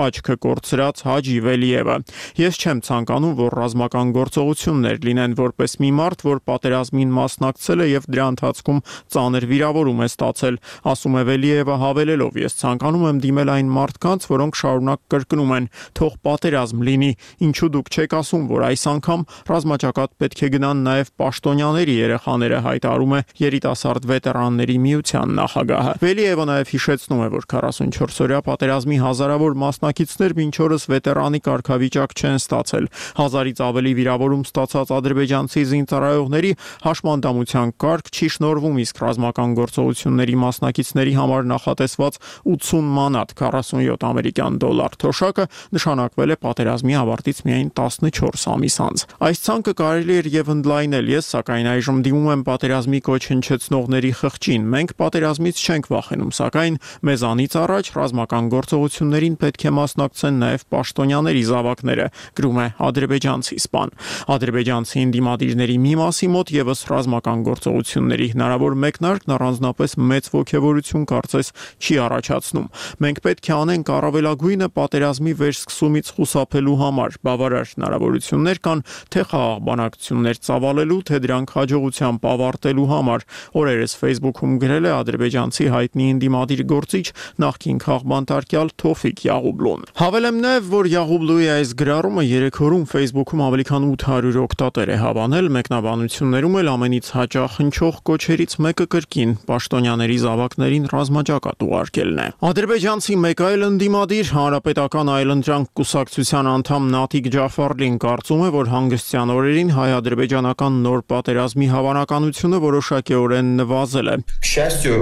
աչքը կորցրած Հաջի Վելիևը։ Ես չեմ ցանկանում, որ ռազմական գործողություններ լինեն, որպես մի մարդ, որ պատերազմին մասնակցել է եւ դրա ընթացքում ծանր վիրավորում է ստացել, ասում է Վելիևը հավելելով. ես ցանկանում եմ դիմել այն մարդկանց, որոնք շարունակ կրկնում են. թող պատերազմ լինի, ինչու դուք չեք ասում, որ այս անգամ ռազմաճակատ պետք է գնան նաև պաշտոնյաների երեխաները, հայտարարում է երիտասարդ վետերանների միության նախագահը։ Վելիևը նաև հիշեցնում է, որ 44-օրյա պատերազմի հազարավոր մասնակիցներ մինչ օրս վետերանի կարգավիճակ չեն ստացել։ 1000-ից ավելի վիրավորում ստացած ադրբեջանցի զինծառայողների հաշմանդամության կարգ չի շնորհվում, իսկ ռազմական գործողությունների մասնակիցների համար նախատեսված 80 մանատ $47 ամերիկյան թոշակը նշանակվել է պատերազմի ավարտից միայն 14 ամիս անց։ Այս ցանկը կարելի էր եւ ընդլայնել։ Ես սակայն այժմ դիմում եմ պատերազմի կոչ հնչեցնողների խղճին։ Մենք պատերազմից չենք վախենում, սակայն մեզանից առաջ ռազմական գործողություններին պետք է մասնակցեն նաեւ պաշտոնյաների զավակները, գրում է ադրբեջանցի սպան։ Ադրբեջանցի ընդդիմադիրների մի մասի մոտ եւս ռազմական գործողությունների հնարավոր մեկնարկն առանձնապես մեծ ոգևորություն կարծես չի առաջացնում։ Մենք պետք է անենք առավելագույնը պատերազմի վերսկսումից խուսափելու համար։ Բավարար հնարավորություններ կան թե խաղաղ բանակցություններ ծավալելու, թե դրանք հաջողությամբ ավարտելու համար։ Օրերս Facebook-ում գրել է ադրբեջանցի հայտնի ընդդիմադիր գործիչ նախկին քաղբանտարկյալ Թոֆիկ Յաղուբլուն։ Հավելեմ նաև, որ Յաղուբլուի այս գրառումը 3 օրում Facebook-ում ավելի քան 800 օգտատեր է հավանել, մեկնաբանություններում էլ ամենից հաճախ հնչող կոչերից մեկը կրկին պաշտոնյաների զավակներին ռազմաճակատ ուղարկելն է։ Ադրբեջանցի մեկ այլ ընդդիմադիր Հանրապետական այլընտրանք կուսակցության անդամ Նաթիկ Ջաֆարլին կարծում է, որ հանգստյան օրերին հայ-ադրբեջանական նոր պատերազմի հավանականությունը որոշակիորեն նվազել է։
К счастью,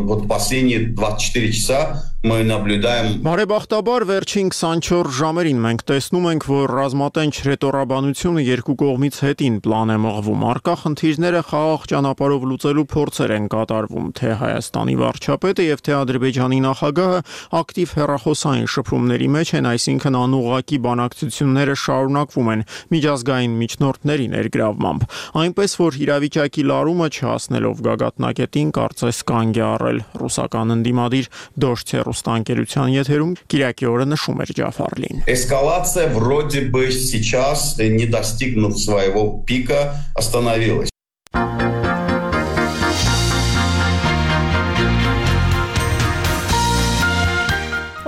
вот последние 24 часа мы наблюдаем.
Բարեբախտաբար վերջին 24 ժամերին մենք տեսնում ենք, որ ռազմատենչ ռետորաբանությունը երկու կողմից հետին պլան է մղվում։ Առկա խնդիրները խաղաղ ճանապարհով լուծելու փորձեր են կատարվում, թե Հայաստանի վարչապետը եւ թե Ադրբեջանի նախագահը ակտիվ հեռախոսային շփումների մեջ են, այսինքն անուղղակի բանակցությունները շարունակվում են միջազգային միջնորդների ներգրավմամբ։ Այնպես որ իրավիճակի լարումը չհասնելով գագաթնակետին կարծես կանգ է առել ռուսական ընդդիմադիր Դոշտե ռուստանգերության եթերում Կիրակի օրը նշում էր Ջաֆարլին։
Эскалация вроде бы сейчас, не достигнув своего пика, остановилась.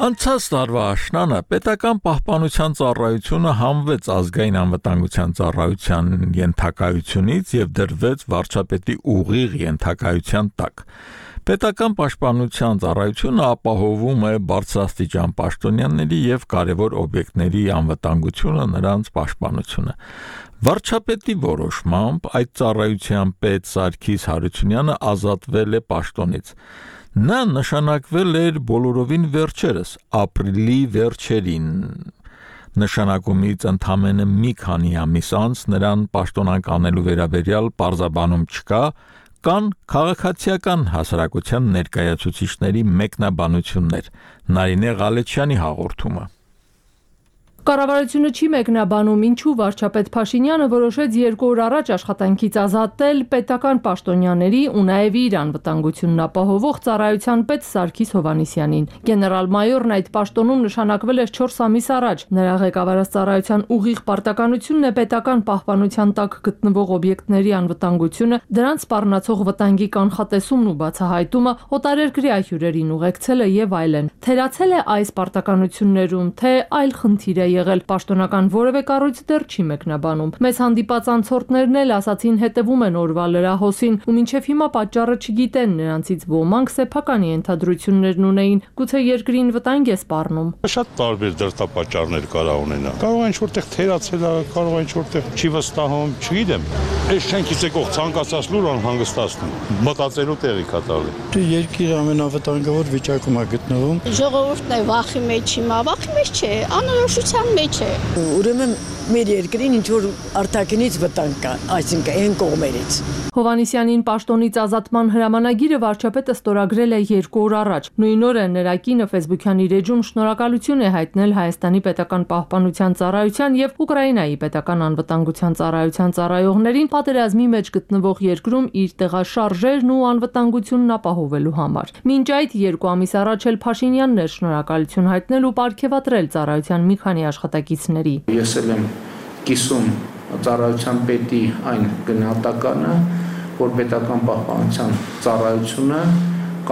Անցած տարվա աշնանը պետական պահպանության ծառայությունը համվեց ազգային անվտանգության ծառայության ենթակայությունից եւ դրվեց վարչապետի ուղիղ ենթակայության տակ։ Պետական պաշտպանության ծառայությունը ապահովում է բարձրաստիճան պաշտոնյաների եւ կարևոր օբյեկտների անվտանգությունը, նրանց պաշտպանությունը։ Վարչապետի որոշմամբ այդ ծառայության պետ Սարգիս Հարությունյանը ազատվել է պաշտոնից։ Նա նշանակվել էր բոլորովին վերջերս, ապրիլի վերջերին։ Նշանակումից ընդամենը մի քանի ամիս անց նրան պաշտոնանկանելու վերաբերյալ պարզաբանում չկա, կան քաղաքացիական հասարակության ներկայացուցիչների մեկնաբանություններ, Նարինե Ղալեչյանի հաղորդումը։
Կառավարությունը չի մեկնաբանում, ինչու վարչապետ Փաշինյանը որոշեց 2 օր առաջ աշխատանքից ազատել պետական պաշտոնյաների ու նաև իր անվտանգությունն ապահովող ծառայության պետ Սարգիս Հովհաննիսյանին։ Գեներալ-մայորն այդ պաշտոնում նշանակվել էր 4 ամիս առաջ։ Նրա ղեկավարած ծառայության ուղիղ պարտականությունն է պետական պահպանության տակ գտնվող օբյեկտների անվտանգությունը, դրանց սպառնացող վտանգի կանխատեսումն ու բացահայտումը, օտարերկրյա հյուրերին ուղեկցելը եւ այլն։ Թերացել է այս պարտականություններում, թե այլ խնդիր է եղել, պաշտոնական որևէ կառույց դեռ չի մեկնաբանում։ Մեզ հանդիպած անցորդներն էլ ասացին հետևում են օրվա լրահոսին ու մինչև հիմա պատճառը չգիտեն, նրանցից ոմանք սեփական ենթադրություններն ունեին, գուցե երկրին վտանգ է սպառնում։
Շատ տարբեր դրդապատճառներ կարող ունենա։ Կարող է ինչ-որտեղ թերացել, կարող է ինչ-որտեղ չի վստահում, չգիտեմ։ Այս շենքից եկող ցանկացած լուր անհանգստացնում, մտածելու տեղի կա տալի։
Երկիրը ամենավտանգավոր վիճակում է գտնվում։ Ժողովուրդն է վախի մեջ հիմա, վախի մեջ չէ, անորոշության մեջ է։ Ուրեմն մեր երկրին ինչ որ արտաքինից վտանգ կա, այսինքն այն կողմերից։
Հովհաննիսյանին պաշտոնից ազատման հրամանագիրը վարչապետը ստորագրել է 2 օր առաջ։ Նույն օրը նրա կինը Facebook-յան իր էջում շնորհակալություն է հայտնել Հայաստանի պետական պահպանության ծառայության եւ Ուկրաինայի պետական անվտանգության ծառայության ծառայողներին պատերազմի մեջ գտնվող երկրում իր տեղաշարժերն ու անվտանգությունն ապահովելու համար։ Մինչ այդ 2 ամիս առաջ էլ Փաշինյանն էր շնորհակալություն հայտնել ու պարգևատրել ծառայության մի քանի աշխատակիցների։
Ես եմ կիսում ծառայության պետի այն գնահատականը, որ պետական պահպանության ծառայությունը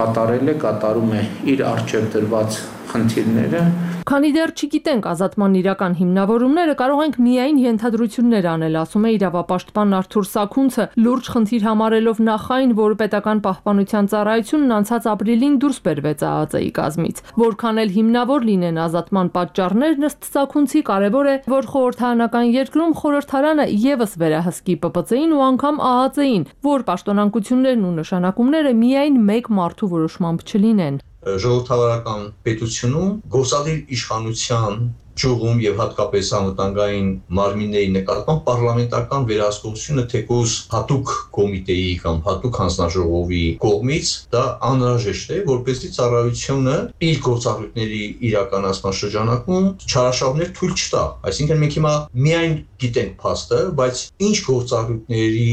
կատարում է իր առջև դրված խնդիրները։
Քանի դեռ չգիտենք ազատման իրական հիմնավորումները, կարող ենք միայն ենթադրություններ անել, ասում է իրավապաշտպան Արթուր Սաքունցը, լուրջ խնդիր համարելով նախ այն, որ պետական պահպանության ծառայությունն անցած ապրիլին դուրս բերվեց ԱԱԾ-ի կազմից։ Որքան էլ հիմնավոր լինեն ազատման պատճառներն, ըստ Սաքունցի կարևոր է, որ խորհրդարանական երկրում խորհրդարանը եւս վերահսկի ՊՊՑ-ին ու անգամ ԱԱԾ-ին, որ պաշտոնանկություններն ու նշանակումները միայն մեկ մարդու որոշմամբ չլինեն։
Ժողովրդավարական պետությունում գործադիր իշխանության
ճյուղում եւ հատկապես անվտանգային մարմինների նկատմամբ պարլամենտական վերահսկողությունը թեկուզ հատուկ կոմիտեի կամ հատուկ հանձնաժողովի կողմից դա անհրաժեշտ է, որպեսզի ծառայությունը իր գործառույթների իրականացման շրջանակում չարաշահումներ թույլ չտա։ Այսինքն մենք հիմա միայն գիտենք փաստը, բայց ինչ գործառույթների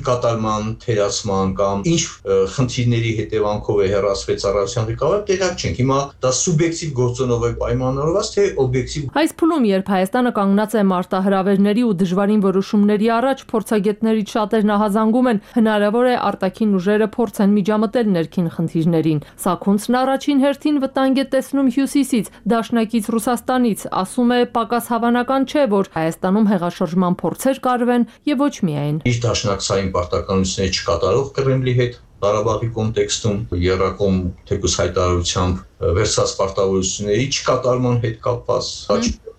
կատարման, թերացման կամ ինչ խնդիրների հետևանքով է հեռացվել ծառայության ղեկավարը, տեղյակ չենք։ Հիմա դա սուբյեկտիվ գործոնով է պայմանավորված, թե օբյեկտիվ։
Այս փուլում, երբ Հայաստանը կանգնած է մարտահրավերների ու դժվարին որոշումների առաջ, փորձագետներից շատերն ահազանգում են, հնարավոր է արտաքին ուժերը փորձեն միջամտել ներքին խնդիրներին։ Սաքունցն առաջին հերթին վտանգ է տեսնում Հյուսիսից, դաշնակից Ռուսաստանից, ասում է պակաս հավանական չէ, որ Հայաստանում հեղաշրջման փորձեր կարվեն եւ ոչ միայն։
Իր դաշնակցային պարտականությունները չկատարող Կրեմլի հետ Ղարաբաղի կոնտեքստում երակոմ թեկուզ հայտարարությամբ վերցած պարտավորությունների չկատարման հետ կապված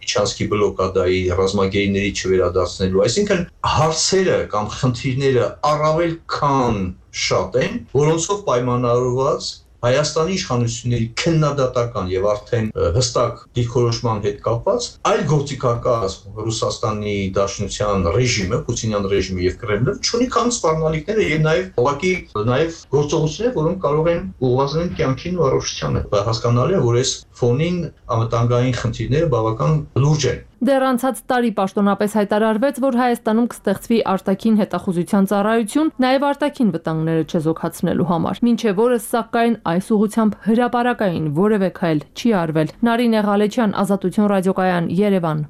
Իջանսկի բլոկադայի ռազմագերիների չվերադարձնելու, այսինքն հարցերը կամ խնդիրները առավել քան շատ են, որոնցով պայմանավորված Հայաստանի իշխանությունների քննադատական եւ արդեն հստակ դիրքորոշման հետ կապված այլ գործիքակազմ Ռուսաստանի Դաշնության ռեժիմը, Պուտինյան ռեժիմը եւ Կրեմլը ունի քան սպառնալիքները եւ նաեւ ուղղակի նաեւ գործողություններ, որոնք կարող են ուղղազրել կյանքին ու առողջությանը։ Հասկանալի է, որ այս ֆոնին անվտանգային խնդիրները բավական լուրջ են։
Դեռ անցած տարի պաշտոնապես հայտարարվեց, որ Հայաստանում կստեղծվի արտաքին հետախուզության ծառայություն, նաև արտաքին վտանգները չեզոքացնելու համար։ Մինչև օրս, սակայն, այս ուղղությամբ հրապարակային որևէ քայլ չի արվել։ Նարինե Ղալեչյան, Ազատություն ռադիոկայան, Երևան։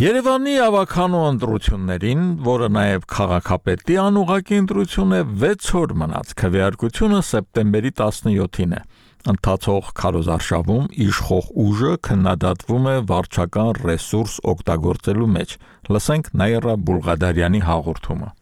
Երևանի ավականու ընտրություններին, որը նաև քաղաքապետի անուղղակի ընտրություն է, 6 օր մնաց, քվեարկությունը սեպտեմբերի 17-ին է։ Ընթացող քարոզարշավում իշխող ուժը քննադատվում է վարչական ռեսուրս օգտագործելու մեջ։ Լսենք Նաիրա Բուլղադարյանի հաղորդումը։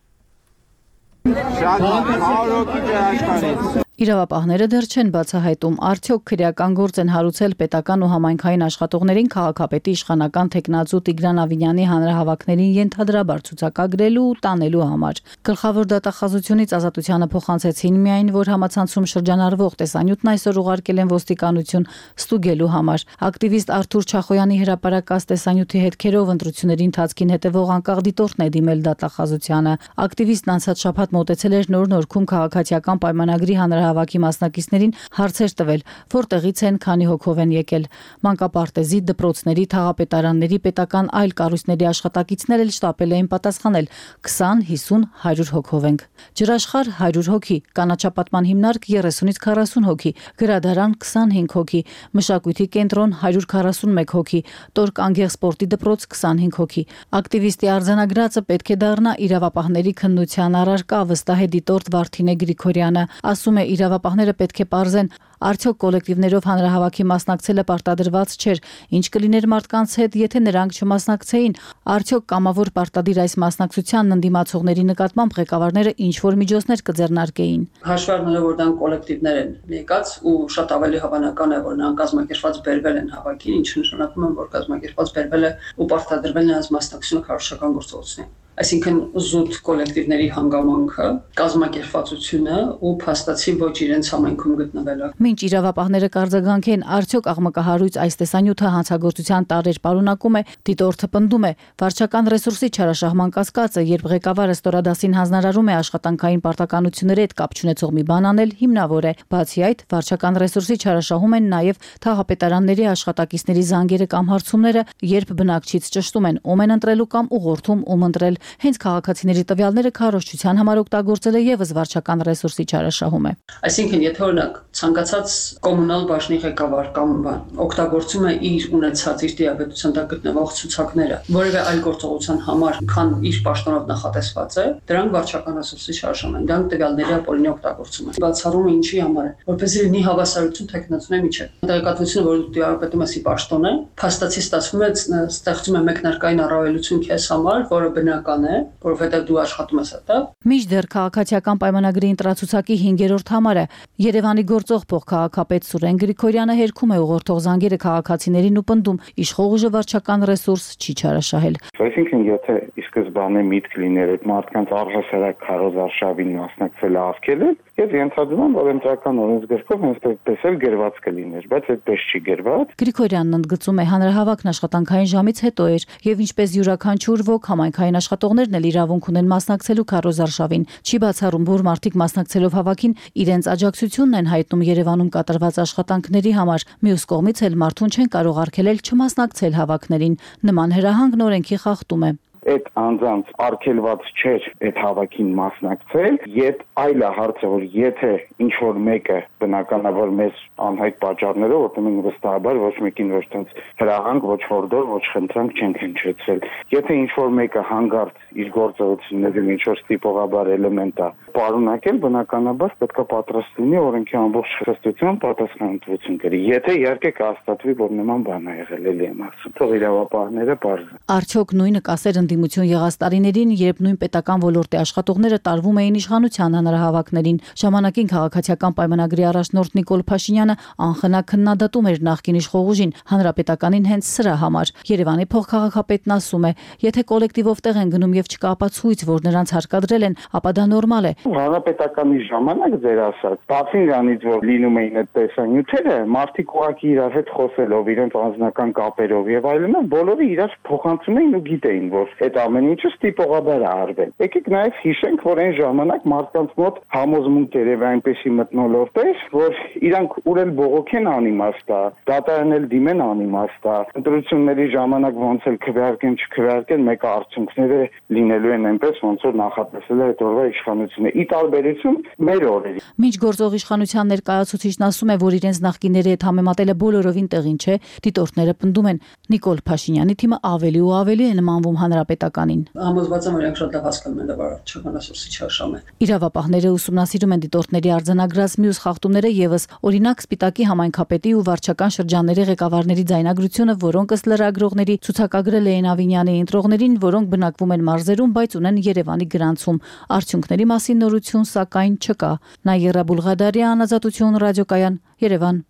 Իրավապահները դեռ չեն բացահայտում, արդյոք քրեական գործ են հարուցել պետական ու համայնքային աշխատողներին քաղաքապետի իշխանական թեկնածու Տիգրան Ավինյանի հանրահավաքներին ենթադրաբար ցուցակագրելու ու տանելու համար։ Գլխավոր դատախազությունից Ազատությանը փոխանցեցին միայն, որ համացանցում շրջանառվող տեսանյութն այսօր ուղարկել են ոստիկանություն ստուգելու համար։ Ակտիվիստ Արթուր Չախոյանի հրապարակած տեսանյութի հետքերով ընտրությունների ընթացքին հետևող անկախ դիտորդն է դիմել դատախազությանը։ Ակտիվիստն անցած շաբաթ մոտեցել էր Նոր Նորքում քաղաքացիական պայմանագրի հանրահավաքի մասնակիցներին հարցեր տվել, որտեղից են, քանի հոգով են եկել։ Մանկապարտեզի, դպրոցների, թաղապետարանների, պետական այլ կառույցների աշխատակիցներ էլ շտապել էին պատասխանել 20, 50, 100 հոգով ենք։ Ջրաշխարհ 100 հոգի, կանաչապատման հիմնարկ 30-ից 40 հոգի, գրադարան 25 հոգի, մշակույթի կենտրոն 141 հոգի, Տորկ Անգեղ սպորտի դպրոց 25 հոգի։ Ակտիվիստի արձանագրածը պետք է դառնա իրավապահների քննության առարկա, վստահ է դիտորդ Վարդինե Գրիգորյանը, ասում է իրավապահները պետք է պարզեն, արդյոք կոլեկտիվներով հանրահավաքի մասնակցելը պարտադրված չէր, ինչ կլիներ մարդկանց հետ, եթե նրանք չմասնակցեին, արդյոք կամավոր պարտադիր այս մասնակցությանն ընդդիմացողների նկատմամբ ղեկավարները ինչ-որ միջոցներ կձեռնարկեին։
Հաշվի առնելով, որ դրանք կոլեկտիվներ են եկած ու շատ ավելի հավանական է, որ նրանք կազմակերպված բերվել են հավաքին, ինչը նշանակում է, որ կազմակերպված բերվել է ու պարտադրվել նրանց մասնակցությունը քարոզչական գործողություններին։ Այսինքն զուտ կոլեկտիվների հանգամանքը, կազմակերպվածությունը ու փաստացի ոչ իրենց համայնքում գտնվելը։
Մինչ իրավապահները կարձագանքեն, արդյոք աղմկահարույց այս տեսանյութը հանցագործության տարեր պարունակում է, դիտորդը պնդում է, վարչական ռեսուրսի չարաշահման կասկածը, երբ ղեկավարը ստորադասին հանձնարարում է աշխատանքային պարտականությունների հետ կապ չունեցող մի բան անել, հիմնավոր է։ Բացի այդ, վարչական ռեսուրսի չարաշահում են նաև թաղապետարանների աշխատակիցների զանգերը կամ հարցումները, երբ բնակչից ճշտում են, ում են ընտրելու կամ ուղղորդում, ում ընտրել։ Հենց քաղաքացիների տվյալները քարոզչության համար օգտագործելը եւս վարչական ռեսուրսի չարաշահում է։
Այսինքն, եթե օրինակ ցանկացած կոմունալ բաժնի ղեկավար կամ օգտագործում է իր ունեցած իր դիաբետության տակ գտնվող ցուցակները որևէ այլ գործողության համար, քան իր պաշտոնով նախատեսված է, դրանք վարչական ռեսուրսի չարաշահում են, դրանք տվյալների ապօրինի օգտագործում են։ Բացառումը ինչի համար է, որպեսզի լինի հավասարություն թեկնածուների միջեւ։ Տեղեկատվությունը, որ դու դիաբետում ես պաշտոն է, փաստացի ստացվում է ստեղծում է մեկնարկային առավելություն քեզ համար, որը բնական բավական է, որովհետև դու աշխատում ես այդտեղ։
Մինչդեռ քաղաքացիական պայմանագրի ընտրացուցակի 5-րդ համարը Երևանի գործող փոխքաղաքապետ Սուրեն Գրիգորյանը հերքում է ուղղորդող զանգերը քաղաքացիներին ու պնդում իշխող ուժը վարչական ռեսուրս չի չարաշահել։
Այսինքն եթե ի սկզբանե միտք լիներ այդ մարդկանց առհասարակ քարոզարշավին մասնակցել աղքել եւ ենթադրում եմ, որ ընտրական օրենսգրքով հենց այդպես էլ գրված կլիներ, բայց այդպես չի գրված։
Գրիգորյանն ընդգծում է հանրահավաքն աշխատանքային ժամից հետո էր եւ ինչպես յուրաքանչյուր ոք համայնքային աշխատողներն էլ իրավունք ունեն մասնակցելու քարոզարշավին։ Չի բացառում, որ մարդիկ մասնակցելով հավաքին իրենց աջակցությունն են հայտնում Երևանում կատարված աշխատանքների համար։ Մյուս կողմից էլ մարդուն չեն կարող արգելել չմասնակցել հավաքներին։ Նման հրահանգն օրենքի խախտում է։
Այդ անձանց արգելված չէր այդ հավաքին մասնակցել, եւ այլ է հարցը, որ եթե ինչ որ մեկը բնականաբար մեզ անհայտ պատճառներով, որտեղ մենք վստահաբար ոչ մեկին ոչ տենց հրահանգ, ոչ հորդոր, ոչ խնդրանք չենք հնչեցրել։ Եթե ինչ որ մեկը հանգարտ իր գործողությունների ինչ որ ստիպողաբար էլեմենտ է պարունակել, բնականաբար պետք է պատրաստ լինի օրենքի ամբողջ խստությամբ պատասխանատվություն կրի։ Եթե իհարկե կհաստատվի, որ նման բան է եղել, էլի եմ ասում, թող իրավապահները բարձր։
Արդյոք նույնը կասեր ընդդիմություն եղած տարիներին, երբ նույն պետական ոլորտի աշխատողները տարվում էին իշխանության հանրահավաքներին։ Ժամանակին քաղաքացիական պայմանագրի առաջնորդ Նիկոլ Փաշինյանը անխնա քննադատում էր նախկին իշխող ուժին, հանրապետականին հենց սրա համար։ Երևանի փոխքաղաքապետն ասում է, եթե կոլեկտիվով տեղ են գնում եւ չկա ապացույց, որ նրանց հարկադրել են, ապա դա նորմալ է։
Հանրապետականի ժամանակ ձեր ասած, բացի դրանից, որ լինում էին այդ տեսանյութերը, մարդիկ ուղղակի իրար հետ խոսելով, իրենց անձնական կապերով եւ այլն, բոլորը իրար փոխանցում էին ու գիտեին, որ այդ ամեն ինչը ստիպողաբար է արվել։ Եկեք նաեւ հիշենք, որ այն ժամանակ մարդկանց մոտ համոզմունք երևի այնպեսի մթնոլորտ էր, որ իրանքուրել բողոքեն անիմաստ է, դատարանել դիմեն անիմաստ է, ընտրությունների ժամանակ ոնց էլ քվեարկեն, չքվեարկեն, մեկը արդյունքները լինելու են այնպես, ոնց որ նախատեսել է այդ օրվա իշխանությունը։ Ի տարբերություն մեր օրերի։
Մինչ գործող իշխանության ներկայացուցիչն ասում է, որ իրենց նախկինների հետ համեմատելը բոլորովին տեղին չէ, դիտորդները պնդում են Նիկոլ Փաշինյանի թիմը ավելի ու ավելի է նմանվում հանրապետականին։
Համոզված եմ, որ իրենք շատ լավ հասկանում են, որ չկան ռեսուրսի չարշամ է։
Իրավապահները ուսումնասիրում են դիտորդների արձանագրած մյուս խախտումները եւս, օրինակ Սպիտակի համայնքապետի ու վարչական շրջանների ղեկավարների ձայնագրությունը, որոնք ըստ լրագրողների ցուցակագրել էին Ավինյանի ընտրողներին, որոնք բնակվում են մարզերում, բայց ունեն Երևանի գրանցում։ Արդյունքների մասին նորություն սակայն չկա։ Նայերա Բուլղադարյան, Ազատություն ռադիոկայան, Երևան։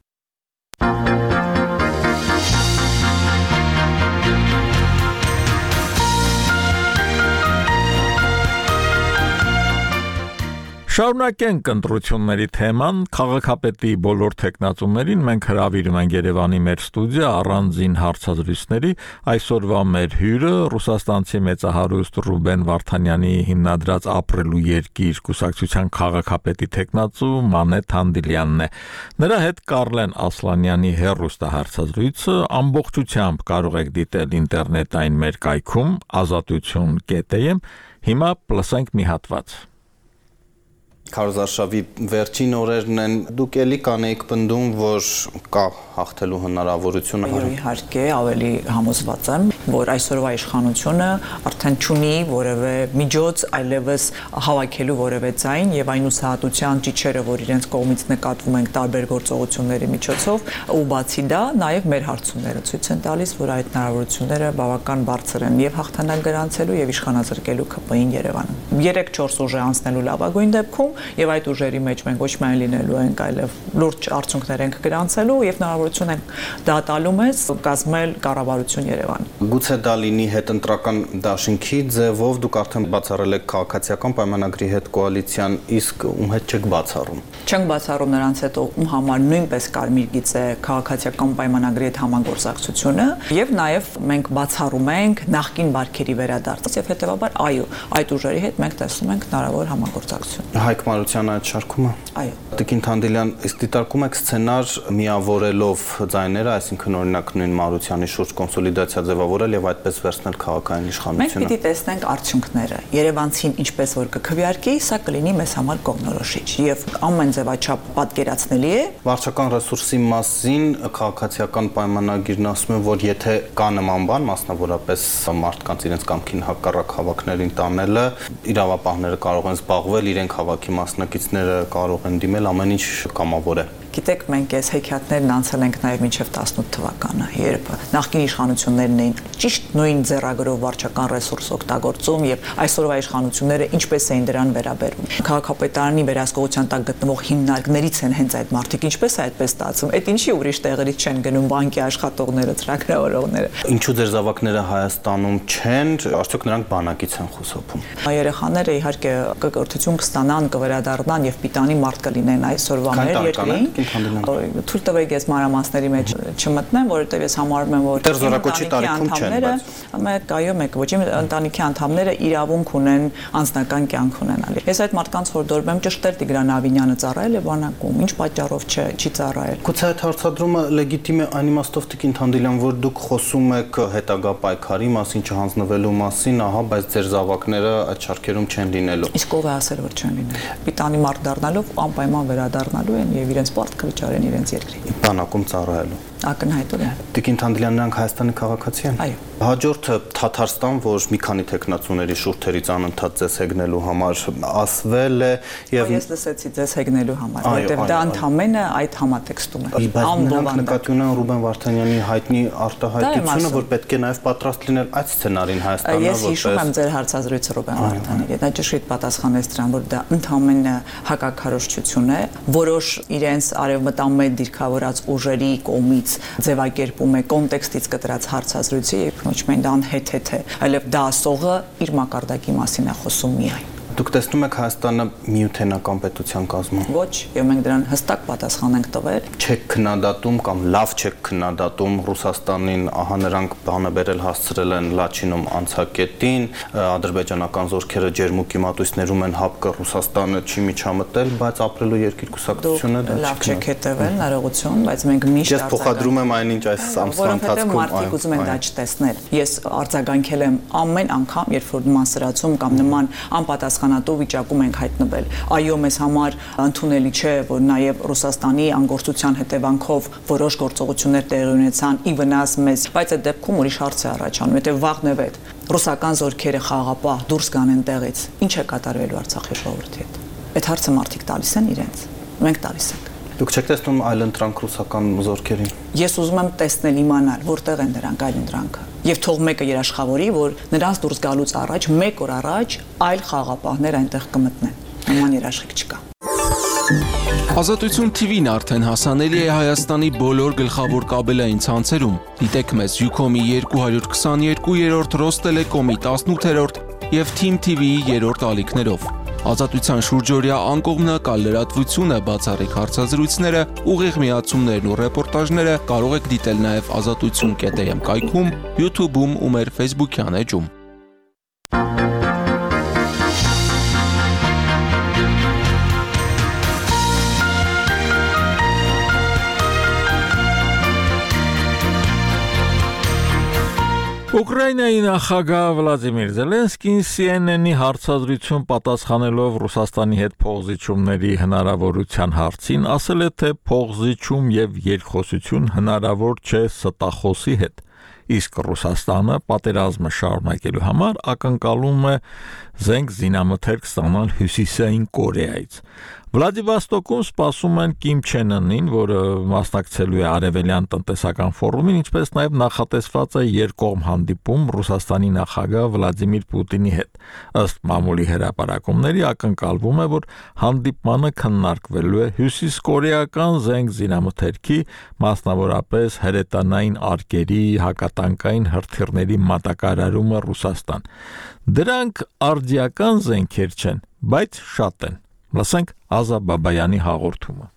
Շարունակենք ընտրությունների թեման, քաղաքապետի բոլոր տեխնացուներին մենք հրավիրում ենք Երևանի մեր ստուդիա առանձին հարցազրույցների։ Այսօրվա մեր հյուրը ռուսաստանցի մեծահարուստ Ռուբեն Վարդանյանի հիմնադրած Ապրելու երկիր կուսակցության քաղաքապետի տեխնացու Մանեթ Հանդիլյանն է։ Նրա հետ Կարլեն Ասլանյանի հեռուստահարցազրույցը ամբողջությամբ կարող եք դիտել ինտերնետային մեր կայքում azatutun.am։ Հիմա լսենք մի հատված։
Քարոզարշավի վերջին օրերն են, դուք էլի կանեիք պնդում, որ կա հաղթելու հնարավորություն։
Իհարկե, ավելի համոզված եմ, որ այսօրվա իշխանությունը արդեն չունի որևէ միջոց այլևս հավաքելու որևէ ձայն եւ այն հուսահատության ճիչերը, որ իրենց կողմից նկատվում են տարբեր գործողությունների միջոցով, ու բացի դա, նաեւ մեր հարցումները ցույց են տալիս, որ այդ հնարավորությունները բավական բարձր են եւ հաղթանակ գրանցելու եւ իշխանազրկելու ԿՊ-ին Երևանում։ 3-4 ուժ է անցնելու լավագույն դեպքում եւ այդ ուժերի մեջ մենք ոչ միայն լինելու ենք, այլև լուրջ արդյունքներ ենք գրանցելու եւ հնարավորություն ենք դա տալու մեզ կազմել կառավարություն Երևան։
Գուցե դա լինի հետընտրական դաշինքի ձևով, դուք արդեն բացառել եք քաղաքացիական պայմանագրի հետ կոալիցիան, իսկ ում հետ չեք բացառում։
Չենք բացառում նրանց հետ, ում համար նույնպես կարմիր գիծ է քաղաքացիական պայմանագրի հետ համագործակցությունը եւ նաեւ մենք բացառում ենք նախկին բարքերի վերադարձ եւ հետեւաբար այո, այդ ուժերի հետ մենք տեսնում ենք հնարավոր համագործակցություն։
Հայկ Մարությանը այդ շարքումը։
Այո։
Տիկին Հանդիլյան, իսկ դիտարկում եք սցենար միավորելով ձայները, այսինքն օրինակ նույն Մարությանի շուրջ կոնսոլիդացիա ձևավորել եւ այդպես վերցնել քաղաքային իշխանությունը։
Մենք պիտի տեսնենք արդյունքները։ Երևանցին ինչպես որ կքվեարկի, սա կլինի մեզ համար կողմնորոշիչ եւ ամեն ձևաչափ պատկերացնելի է։
Վարչական ռեսուրսի մասին քաղաքացիական պայմանագիրն ասում է, որ եթե կա նման բան, մասնավորապես մարդկանց իրենց կամքին հակառակ հավաքներին տանելը, իրավապահները կարող են զբաղվել, իրենք հավաքի մասնակիցները կարող են դիմել, ամեն ինչ կամավոր է։
Գիտեք, մենք այս հեքիաթներն անցել ենք նաև մինչև 18 թվականը, երբ նախկին իշխանություններն էին ճիշտ նույն ձեռագրով վարչական ռեսուրս օգտագործում եւ այսօրվա իշխանությունները ինչպես էին դրան վերաբերվում։ Քաղաքապետարանի վերահսկողության տակ գտնվող հիմնարկներից են հենց այդ մարդիկ, ինչպես է այդպես ստացվում։ Այդ ինչի ուրիշ տեղերից չեն գնում բանկի աշխատողները, ծրագրավորողները։
Ինչու ձեր զավակները Հայաստանում չեն, արդյոք նրանք բանակից են խուսափում։
Երեխաները իհարկե կկրթություն կստանան, կվերադառնան եւ պիտանի մարդ կլինեն այսօրվա մեր երկրին։ Թույլ տվեք ես մանրամասների մեջ չմտնեմ, որովհետեւ ես համարում եմ, որ
զորակոչի տարիքում չեն,
մեկ այո, մեկ ոչ, ընտանիքի անդամները իրավունք ունեն անձնական կյանք ունենալու։ Ես այդ մարդկանց հորդորում եմ ճշտել Տիգրան Ավինյանը ծառայել է բանակում, ինչ պատճառով չի ծառայել։
Գուցե այդ հարցադրումը լեգիտիմ է այն իմաստով Տիկին Թանդիլյան, որ դուք խոսում եք հետագա պայքարի մասին, չհանձնվելու մասին, ահա, բայց ձեր զավակները այդ շարքերում չեն լինելու։
Իսկ ով է ասել, որ չեն լինելու։ Պիտանի մարդ դառնալով անպայման վերադառնալու են եւ իրենց պարտքը վճարեն իրենց երկրին։
Բանակում ծառայելու։
Ակնհայտորեն։
Տիկին Թանդիլյան, նրանք Հայաստանի քաղաքացի են։
Այո։
Հաջորդը Թաթարստան, որ մի քանի տեխնացուների շուրթերից անընդհատ ձեզ հեգնելու համար ասվել է եւ
ես լսեցի ձեզ հեգնելու համար, որտեղ դա ընդամենը այդ համատեքստում է։
Անբովանդակ նկատի ունեն Ռուբեն Վարդանյանի հայտնի արտահայտությունը, որ պետք է նաեւ պատրաստ լինել այդ սցենարին Հայաստանը,
որպես։ Ես հիշում եմ ձեր հարցազրույցը Ռուբեն Վարդանյանի հետ, նա ճշգրիտ պատասխանեց դրան, որ դա ընդամենը հակաքարոզչություն է, որոշ իրենց արևմտամետ դիրքավորած ուժերի կողմից ձևակերպում է կոնտեքստից կտրած հարցազրույցի եւ ոչ միայն դա անհեթեթ է, այլև դա ասողը իր մակարդակի մասին է խոսում միայն։
Դուք տեսնում եք Հայաստանը միութենական պետության կազմում։
Ոչ, եւ մենք դրան հստակ պատասխան ենք տվել։
Չեք քննադատում կամ լավ չեք քննադատում Ռուսաստանին, ահա նրանք բանաբերել հասցրել են Լաչինում անցակետին, ադրբեջանական զորքերը ջերմուկի մատույցներում են հապկը Ռուսաստանը չի միջամտել, բայց ապրելու երկիր կուսակցությունը դա
լավ չեք հետևել, հնարավորություն, բայց մենք միշտ
Ես փոխադրում եմ այնինչ այս ամսվա ընթացքում
մարդիկ ուզում են դա չտեսնել։ Ես արձագանքել եմ ամեն անգամ, երբ որ նման սրացում կամ նման անպատասխանատու վիճակում ենք հայտնվել։ Այո, մեզ համար ընդունելի չէ, որ նաև Ռուսաստանի անգործության հետևանքով որոշ գործողություններ տեղի ունեցան ի վնաս մեզ, բայց այդ դեպքում ուրիշ հարց է առաջանում, որտեղ վաղն է ռուսական զորքերը խաղապահ դուրս գան այնտեղից, ինչ է կատարվելու Արցախի ժողովրդի հետ։ Այդ հարցը մարդիկ տալիս են իրենց, մենք տալիս ենք։
Դուք չեք տեսնում այլընտրանք ռուսական զորքերին։
Ես ուզում եմ տեսնել, իմանալ, որտեղ են դրանք այլընտրանքը։ Եվ թող մեկը երաշխավորի, որ նրանց դուրս գալուց առաջ, մեկ օր առաջ այլ խաղապահներ այնտեղ կմտնեն։ Նման երաշխիք չկա։
Ազատություն TV-ն արդեն հասանելի է Հայաստանի բոլոր գլխավոր կաբելային ցանցերում։ Դիտեք մեզ Ucom-ի 222-րդ, Ռոստելեկոմի 18-րդ եւ Team TV-ի 3-րդ ալիքներով։ Ազատության շուրջօրյա անկողմնակալ լրատվությունը, բացառիկ հարցազրույցները, ուղիղ միացումներն ու ռեպորտաժները կարող եք դիտել նաև azatutsun.am կայքում, YouTube-ում ու մեր Facebook-յան էջում։
Ուկրաինայի նախագահ Վլադիմիր Զելենսկին CNN-ի հարցազրույցում պատասխանելով Ռուսաստանի հետ փոխզիջումների հնարավորության հարցին ասել է, թե փոխզիջում եւ երկխոսություն հնարավոր չէ ստախոսի հետ, իսկ Ռուսաստանը պատերազմը շարունակելու համար ակնկալում է զենք զինամթերք ստանալ Հյուսիսային Կորեայից։ Վլադիվոստոկում սպասում են Կիմ Չեն Ընին, որը մասնակցելու է Արևելյան տնտեսական ֆորումին, ինչպես նաև նախատեսված է երկկողմ հանդիպում Ռուսաստանի նախագահ Վլադիմիր Պուտինի հետ։ Ըստ մամուլի հրապարակումների ակնկալվում է, որ հանդիպմանը քննարկվելու է հյուսիսկորեական զենք զինամթերքի, մասնավորապես հրետանային արկերի, հակատանկային հրթիռների մատակարարումը Ռուսաստան։ Դրանք արդիական զենքեր չեն, բայց շատ են։ Լսենք Ազա Բաբայանի հաղորդումը։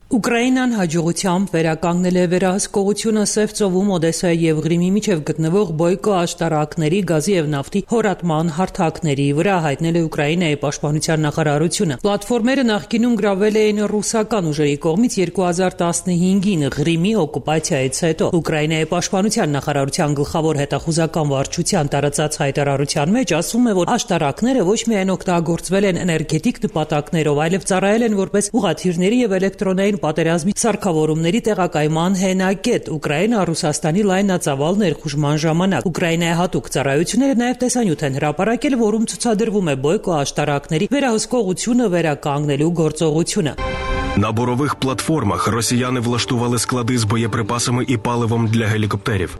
Ուկրաինան հաջողությամբ վերականգնել է վերահսկողությունը Սև ծովում Օդեսայի եւ Ղրիմի միջև գտնվող Բոյկո աշտարակների, գազի եւ նավթի հորատման հարթակների վրա, հայտնել է Ուկրաինայի պաշտպանության նախարարությունը։ Պլատֆորմերը նախկինում գրավել էին ռուսական ուժերի կողմից 2015-ին Ղրիմի օկուպացիայից հետո։ Ուկրաինայի պաշտպանության նախարարության գլխավոր հետախուզական վարչության տարածած հայտարարության մեջ ասվում է, որ աշտարակները ոչ միայն օգտագործվել են էներգետիկ նպատակներով, այլև ծառայել են որպես ուղղաթիռների եւ էլեկտրոնային պատերազմի սարքավորումների տեղակայման հենակետ Ուկրաինա Ռուսաստանի լայնածավալ ներխուժման ժամանակ։ Ուկրաինայի հատուկ ծառայությունները նաև տեսանյութ են հրապարակել, որում ցուցադրվում է Բոյկո աշտարակների վերահսկողությունը վերականգնելու գործողությունը։
На бурових платформах росіяни влаштували склади з боєприпасами і паливом для гелікоптерів.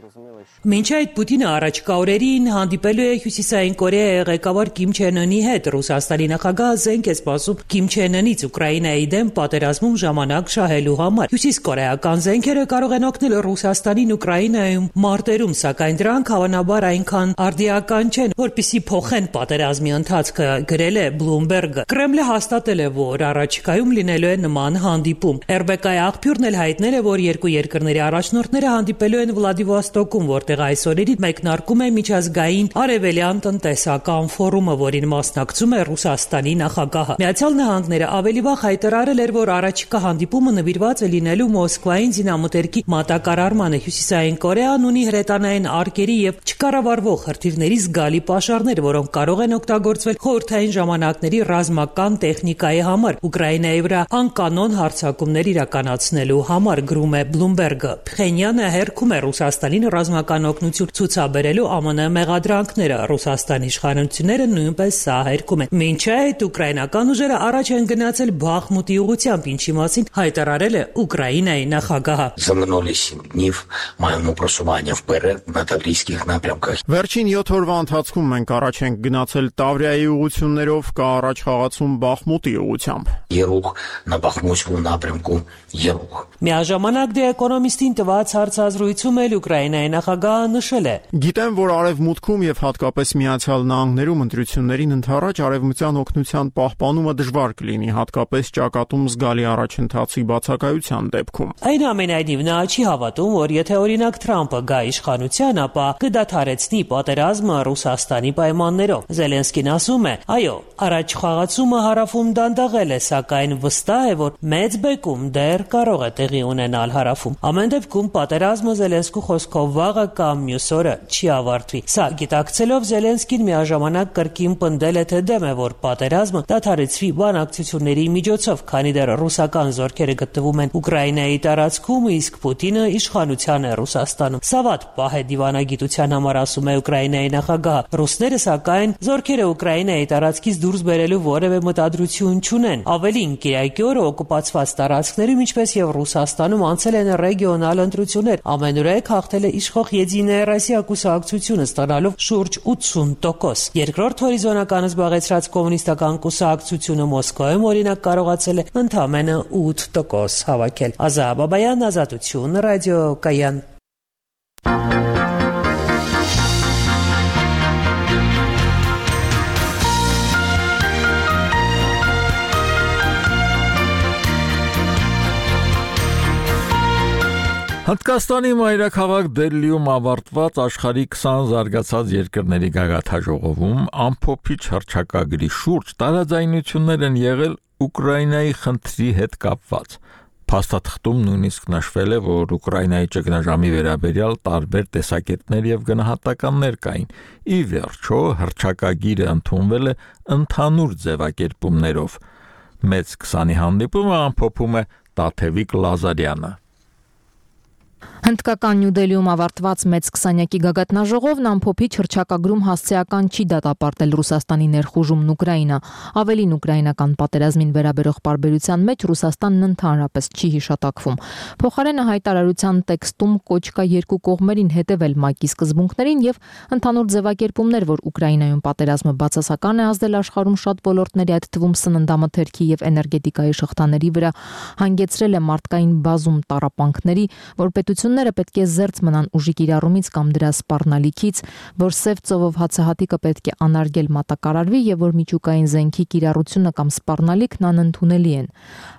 Մինչ այդ Պուտինը առաջկա օրերին հանդիպելու է Հյուսիսային Կորեայի ղեկավար Կիմ Չեն Ընի հետ, Ռուսաստանի նախագահը զենք է սպասում Կիմ Չեն Ընից Ուկրաինայի դեմ պատերազմում ժամանակ շահելու համար։ Հյուսիսկորեական զենքերը կարող են օգնել Ռուսաստանին Ուկրաինայում մարտերում, սակայն դրանք հավանաբար այնքան արդիական չեն, որպեսզի փոխեն պատերազմի ընթացքը, գրել է Bloomberg-ը։ Կրեմլը հաստատել է, որ առաջիկայում լինելու է նման հանդիպում։ RBK-ի աղբյուրն էլ հայտնել է, որ երկու երկրների առաջնորդները հանդիպելու են Վլադիվոստոկում, որտեղ այսօրերի մեկնարկում է միջազգային արևելյան տնտեսական ֆորումը, որին մասնակցում է Ռուսաստանի նախագահը։ Միացյալ Նահանգները ավելի վաղ հայտարարել էր, որ առաջիկա հանդիպումը նվիրված է լինելու Մոսկվային զինամթերքի մատակարարմանը։ Հյուսիսային Կորեան ունի հրետանային արկերի եւ չկառավարվող հրթիռների զգալի պաշարներ, որոնք կարող են օգտագործվել խորհրդային ժամանակների ռազմական տեխնիկայի համար Ուկրաինայի վրա անկանոն հարձակումներ իրականացնելու համար, գրում է Bloomberg-ը։ Փխենյանը հերքում է Ռուսաստանին ռազմական օգնություն ցուցաբերելու ԱՄՆ մեղադրանքները, Ռուսաստանի իշխանությունները նույնպես սա հերքում են։ Մինչ այդ ուկրաինական ուժերը առաջ են գնացել Բախմուտի ուղղությամբ, ինչի մասին հայտարարել է Ուկրաինայի նախագահը։
Վերջին 7 օրվա ընթացքում մենք առաջ ենք գնացել Տավրիայի ուղղություններով, կա առաջ խաղացում Բախմուտի ուղղությամբ։
Միաժամանակ The Economist-ին տված հարցազրույցում էլ Ուկրաինայի նախագահը նշել է.
Գիտեմ, որ արևմուտքում եւ հատկապես Միացյալ Նահանգներում ընտրություններին ընդառաջ արևմտյան օգնության պահպանումը դժվար կլինի, հատկապես ճակատում զգալի առաջընթացի բացակայության դեպքում։
Այնուամենայնիվ նա չի հավատում, որ եթե օրինակ Թրամփը գա իշխանության, ապա կդադարեցնի պատերազմը Ռուսաստանի պայմաններով։ Զելենսկին ասում է. այո, առաջ խաղացումը հարավում դանդաղել է, սակայն վստահ է, որ մեծ բեկում դեռ կարող է տեղի ունենալ հարավում։ Ամեն դեպքում պատերազմը Զելենսկու խոսքով վաղը կամ մյուս օրը չի ավարտվի։ Սա գիտակցելով Զելենսկին միաժամանակ կրկին պնդել է, թե դեմ է, որ պատերազմը դադարեցվի բանակցությունների միջոցով, քանի դեռ ռուսական զորքերը գտնվում են Ուկրաինայի տարածքում, իսկ Պուտինը իշխանության է Ռուսաստանում։ Սա վատ պահ է դիվանագիտության համար, ասում է Ուկրաինայի նախագահը։ Ռուսները սակայն զորքերը Ուկրաինայի տարածքից դուրս բերելու որևէ մտադրություն չունեն։ Ավելին, Կիրակի օրը օկուպացված տարածքներում, ինչպես եւ Ռուսաստանում անցել են ռեգիոնալ ընտրություններ, ամենուրեք հաղթել է իշխող Եդիная Ռոսիա կուսակցությունը, ստանալով շուրջ 80%։ Երկրորդ հորիզոնականը զբաղեցրած կոմունիստական կուսակցությունը Մոսկվայում օրինակ կարողացել է ընդամենը 8% հավաքել։ Ազա Բաբայան, Ազատություն, ռադիո Կայան։
Հնդկաստանի մայրաքաղաք Դելլիում ավարտված աշխարհի 20 զարգացած երկրների գագաթաժողովում ամփոփիչ հռչակագրի շուրջ տարաձայնություններ են եղել Ուկրաինայի խնդրի հետ կապված։ Փաստաթղթում նույնիսկ նշվել է, որ Ուկրաինայի ճգնաժամի վերաբերյալ տարբեր տեսակետներ եւ գնահատականներ կային։ Ի վերջո հռչակագիրը ընդունվել է ընդհանուր ձևակերպումներով։ Մեծ 20-ի հանդիպումը ամփոփում է Տաթևիկ Լազարյանը։
Հնդկական Նյու Դելիում ավարտված մեծ 20-յակի գագաթնաժողովն ամփոփիչ հռչակագրում հասցեական չի դատապարտել Ռուսաստանի ներխուժումն Ուկրաինա, ավելին ուկրաինական պատերազմին վերաբերող պարբերության մեջ Ռուսաստանն ընդհանրապես չի հիշատակվում։ Փոխարենը հայտարարության տեքստում կոչ կա երկու կողմերին հետևել ՄԱԿ-ի սկզբունքներին եւ ընդհանուր ձևակերպումներ, որ Ուկրաինայում պատերազմը բացասական է ազդել աշխարհում շատ ոլորտների, այդ թվում սննդամթերքի եւ էներգետիկայի շղթաների վրա, հանգեցրել է մարդկային բազում տառապանքների, որ պետությունները պետք է զերծ մնան ուժի կիրառումից կամ դրա սպառնալիքից, որ սև ծովով հացահատիկը պետք է անարգել մատակարարվի եւ որ միջուկային զենքի կիրառությունը կամ սպառնալիքն անընդունելի են։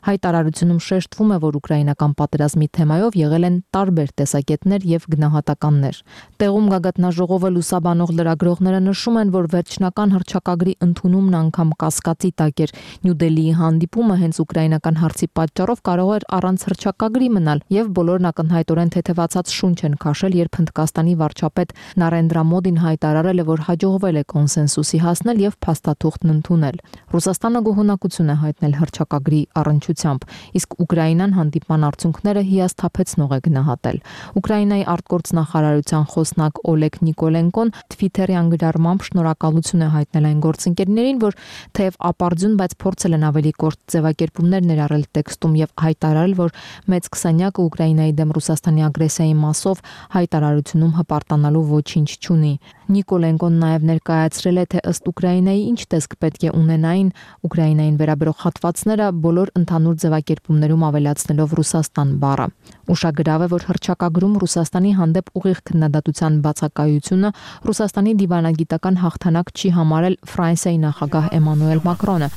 Հայտարարությունում շեշտվում է, որ ուկրաինական պատերազմի թեմայով եղել են տարբեր տեսակետներ եւ գնահատականներ։ Տեղում գագաթնաժողովը լուսաբանող լրագրողները նշում են, որ վերջնական հռչակագրի ընդունումն անգամ կասկածի տակ էր։ Նյու Դելիի հանդիպումը հենց ուկրաինական հարցի պատճառով կարող էր առանց հռչակագրի մնալ եւ բոլորն ակնհայտորեն արտահայտորեն թեթևացած շունչ են քաշել, երբ Հնդկաստանի վարչապետ Նարենդրա Մոդին հայտարարել է, որ հաջողվել է կոնսենսուսի հասնել եւ փաստաթուղթն ընդունել։ Ռուսաստանը գոհունակություն է հայտնել հռչակագրի առնչությամբ, իսկ Ուկրաինան հանդիպման արդյունքները հիասթափեցնող է գնահատել։ Ուկրաինայի արտգործնախարարության խոսնակ Օլեգ Նիկոլենկոն Twitter-յան գրառմամբ շնորհակալություն է հայտնել այն գործընկերներին, որ թեև ապարդյուն, բայց փորձել են ավելի կորտ ձևակերպումներ ներառել տեքստում եւ հայտարարել, որ մեծ քսանյակը Ուկրաինայի դեմ Ռուսաստանի ագրեսիայի մասով հայտարարությունում հպարտանալու ոչինչ չունի։ Նիկոլենկոն նաև ներկայացրել է, թե ըստ Ուկրաինայի ինչ տեսք պետք է ունենային Ուկրաինային վերաբերող հատվածները բոլոր ընդհանուր ձևակերպումներում ավելացնելով Ռուսաստան բառը։ Ուշագրավ է, որ հռչակագրում Ռուսաստանի հանդեպ ուղիղ քննադատության բացակայությունը Ռուսաստանի դիվանագիտական հաղթանակ չի համարել Ֆրանսիայի նախագահ Էմանուել Մակրոնը։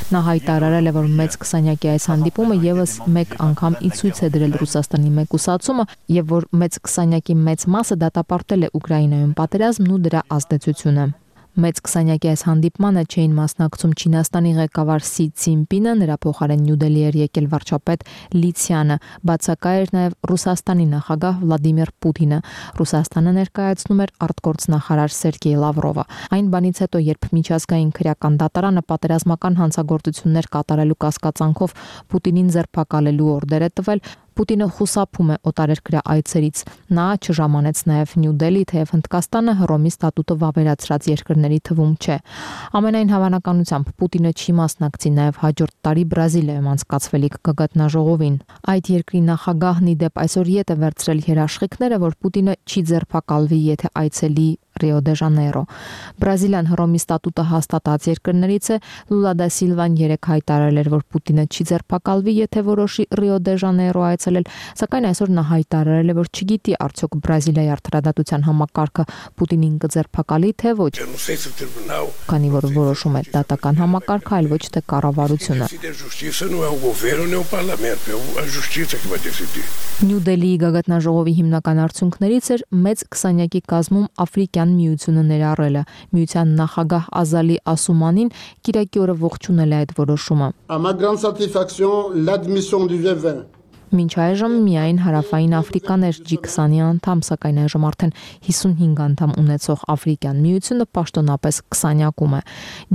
Նա հայտարարել է, որ մեծ քսանյակի այս հանդիպումը եւս մեկ անգամ ի ցույց է դրել Ռուսաստանի մեկուսացումը եւ որ մեծ քսանյակի մեծ մասը դատապարտել է Ուկրաինայում պատերազմն ու դրա ազդեցությունը։ Մեծ քսանյակի այս հանդիպմանը չէին մասնակցում Չինաստանի ղեկավար Սի Ցինպինը, նրա փոխարեն Նյու Դելհի էր եկել վարչապետ Լի Ցյանը, բացակայ էր նաև Ռուսաստանի նախագահ Վլադիմիր Պուտինը։ Ռուսաստանը ներկայացնում էր արտգործնախարար Սերգեյ Լավրովը։ Այն բանից հետո, երբ միջազգային քրեական դատարանը պատերազմական հանցագործություններ կատարելու կասկածանքով Պուտինին ձերբակալելու օրդեր է տվել, Պուտինը խուսափում է օտարերկրյա այցերից։ Նա չժամանեց նաև Նյու Դելհի, թեև Հնդկաստանը Հռոմի ստատուտը վավերացրած երկրների թվում չէ։ Ամենայն հավանականությամբ Պուտինը չի մասնակցի նաև հաջորդ տարի Բրազիլիայում անցկացվելիք գագաթնաժողովին։ Այդ երկրի նախագահն ի դեպ այսօր ետ է վերցրել երաշխիքները, որ Պուտինը չի ձերբակալվի, եթե այցելի Ռիո դե Ժանեյրո։ Բրազիլիան Հռոմի ստատուտը հաստատած երկրներից է։ Լուլա դա Սիլվան երեկ հայտարարել էր, որ Պուտինը չի ձերբակալվի, եթե որոշի Ռիո դե Ժանեյրո այցելել, սակայն այսօր նա հայտարարել է, որ չգիտի արդյոք Բրազիլիայի արտադատության համակարգը Պուտինին կձերբակալի, թե ոչ։ Քանի որ որոշում է դատական համակարգը, այլ ոչ թե կառավարությունը։ Նյու Դելհիի գագաթնաժողովի հիմնական արդյունքներից էր մեծ քսանյակի կազմում Աֆրիկյան միությունը ներառելը։ Միության նախագահ Ազալի Ասումանին կիրակի օրը ողջունել է այդ որոշումը։ Մինչ այժմ միայն հարավային Աֆրիկան էր G20-ի անդամ, սակայն այժմ արդեն 55 անդամ ունեցող Աֆրիկյան միությունը պաշտոնապես 20-յակում է։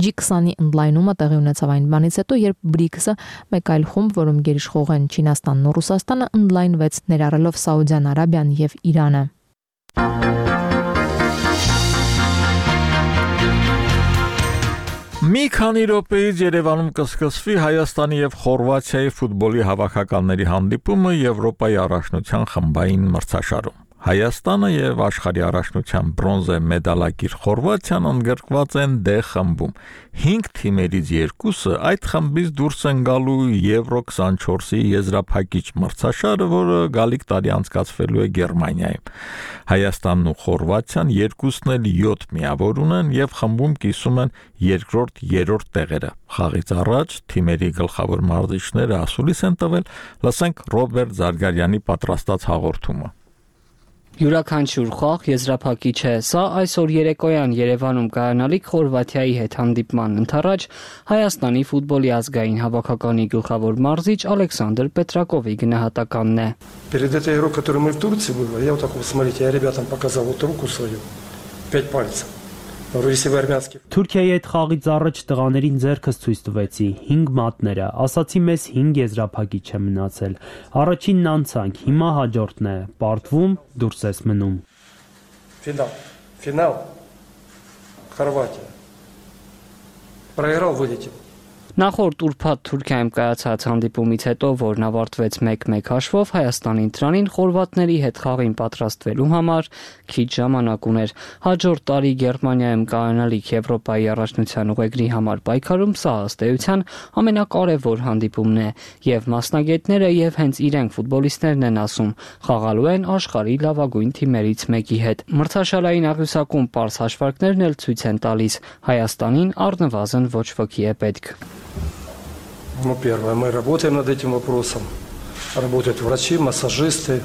G20-ի ընդլայնումը տեղի ունեցավ այն բանից հետո, երբ BRICS-ը մեկ այլ խումբ, որում գերիշխող են Չինաստանն ու Ռուսաստանը, ընդլայնվեց ներառելով Սաուդյան Արաբիան եւ Իրանը։
Մի քանի րոպեից Երևանում կսկսվի Հայաստանի եւ Խորվաթիայի ֆուտբոլի հավաքականների հանդիպումը Եվրոպայի առաջնության խմբային մրցաշարում։ Հայաստանը եւ աշխարհի առաջնության բրոնզե մեդալակիր Խորվաթիան ընդգրկված են D խմբում։ 5 թիմերից 2-ը այդ խմբից դուրս են գալու Եվրո 24-ի եզրափակիչ մրցաշարը, որը գալիք տարի անցկացվելու է Գերմանիայում։ Հայաստանն ու Խորվաթիան երկուսն էլ 7 միավոր ունեն եւ խմբում կիսում են երկրորդ, երրորդ տեղերը։ Խաղից առաջ թիմերի գլխավոր մարզիչները ասուլիս են տվել, լսենք Ռոբերտ Զարգարյանի պատրաստած հաղորդումը։
Յուրաքանչյուր խաղ եզրափակիչ է։ Սա այսօր երեկոյան Երևանում կայանալիք Խորվաթիայի հետ հանդիպման ընթառաջ Հայաստանի ֆուտբոլի ազգային հավաքականի գլխավոր մարզիչ Ալեքսանդր Պետրակովի գնահատականն է։
Перед этой игрой, которую мы в Турции были, я вот так вот, смотрите, я ребятам показал вот руку свою, 5 пальцев.
Թուրքիայի հետ խաղից առաջ տղաներին ձեռքս ցույց տվեցի 5 մատները, ասացի մեզ 5 եզրափակիչ է մնացել։ Առաջինն անցանք, հիմա հաջորդն է, պարտվում, դուրս ես մնում։
Финал. Хорватия. Проиграл, вылетел.
Նախորդ ուրբաթ Թուրքիայում կայացած հանդիպումից հետո, որն ավարտվեց 1-1 հաշվով, Հայաստանի ընտրանին խորվաթների հետ խաղին պատրաստվելու համար քիչ ժամանակ ուներ։ Հաջորդ տարի Գերմանիայում կայանալիք Եվրոպայի առաջնության ուղեգրի համար պայքարում սա ըստ էության ամենակարևոր հանդիպումն է, եւ մասնագետները եւ հենց իրենք ֆուտբոլիստներն են ասում, խաղալու են աշխարհի լավագույն թիմերից մեկի հետ։ Մրցաշարային աղյուսակում պարզ հաշվարկներն էլ ցույց են տալիս, Հայաստանին առնվազն ոչ ոքի է պետք։
Ну, первое, мы работаем над этим вопросом. Работают врачи, массажисты,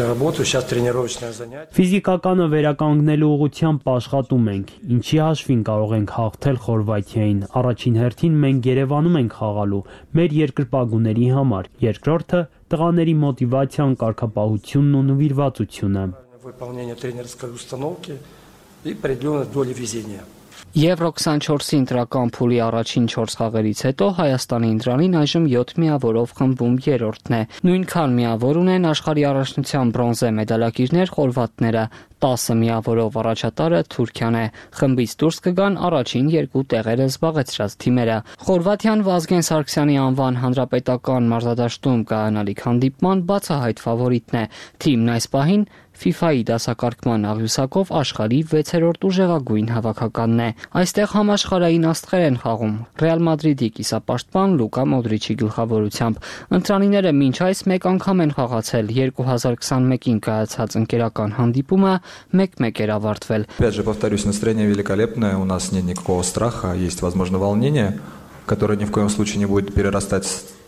работаю, сейчас тренировочное занятие.
Ֆիզիկականը վերականգնելու ուղղությամբ աշխատում ենք։ Ինչի հաշվին կարող ենք հաղթել Խորվաթիային։ Առաջին հերթին մենք Երևանում ենք խաղալու մեր երկրպագուների համար։ Երկրորդը տղաների մոտիվացիան, կարգապահությունն ու նվիրվածությունը։
Выполнение тренерской установки и определенной доли везения.
Եվրո 24-ի ընտրական փուլի առաջին 4 խաղերից հետո Հայաստանի ընտրանին այժմ 7 միավորով խմբում երրորդն է։ Նույնքան միավոր ունեն աշխարհի առաջնության բրոնզե մեդալակիրներ խորվաթները, 10 միավորով առաջատարը Թուրքիան է։ Խմբից դուրս կգան առաջին 2 տեղերը զբաղեցրած թիմերը։ Խորվաթիան Վազգեն Սարգսյանի անվան հանրապետական մարզադաշտում կայանալիք հանդիպման բացահայտ ֆավորիտն է։ Թիմն այս պահին FIFA-ի դասակարգման աղյուսակով աշխարհի 6-րդ ուժեղագույն հավաքականն է։ Այստեղ համաշխարհային աստղեր են խաղում։ Ռեալ Մադրիդի կիսապաշտպան Լուկա Մոդրիչի գլխավորությամբ ընտրանիները մինչ այս մեկ անգամ են խաղացել 2021-ին կայացած ընկերական հանդիպումը 1-1 էր ավարտվել։
Опять же, повторюсь, настроение великолепное, у нас нет никакого страха, есть, возможно, волнение, которое ни в коем случае не будет перерастать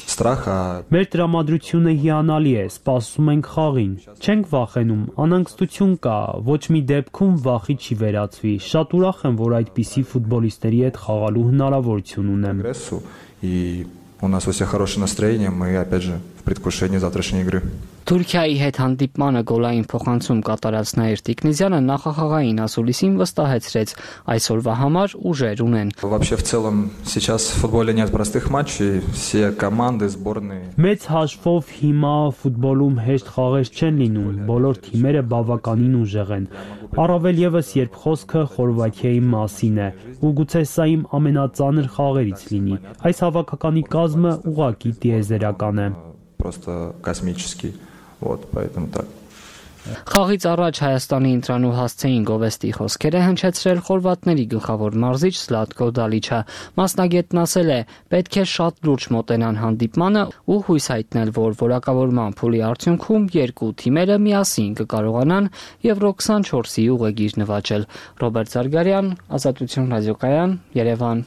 страха.
Մեր տրամադրությունը հիանալի է, սպասում ենք խաղին։ Չենք վախենում, անհանգստություն կա, ոչ մի դեպքում վախի չի վերածվի։ Շատ ուրախ եմ, որ այդպիսի ֆուտբոլիստերի հետ խաղալու հնարավորություն ունեմ։
И у нас у всех хорошее настроение, мы опять же в предвкушении завтрашней игры.
Թուրքիայի հետ հանդիպմանը գոլային փոխանցում катарած Նաիր Տիկնիզյանը նախախաղային ասուլիսին վստահեցրեց այսօրվա համար ուժեր ունեն։
Вообще в целом сейчас в футболе нет простых матчей, все команды, сборные.
Մեծ հաշվով հիմա ֆուտբոլում հեշտ խաղեր չեն լինում, բոլոր թիմերը բավականին ուժեղ են։ Առավել եւս երբ խոսքը Խորվաթիայի մասին է, ու գուցե սա իմ ամենածանր խաղերից լինի։ Այս հավաքականի կազմը ուղղակի տիեզերական է։
Просто космический. Вот, поэтому так.
Խաղից առաջ Հայաստանի ընտրանու հասցեին գովեստի խոսքերը հնչեցրել խորվաթների գլխավոր մարզիչ Զլատկո Դալիչը։ Մասնագետն ասել է, պետք է շատ լուրջ մոտենան հանդիպմանը ու հույս հայտնել, որ որակավորման փուլի արդյունքում երկու թիմերը միասին կկարողանան Եվրո 24-ի ուղեգիր նվաճել։ Ռոբերտ Զարգարյան, Ազատություն ռադիոկայան, Երևան։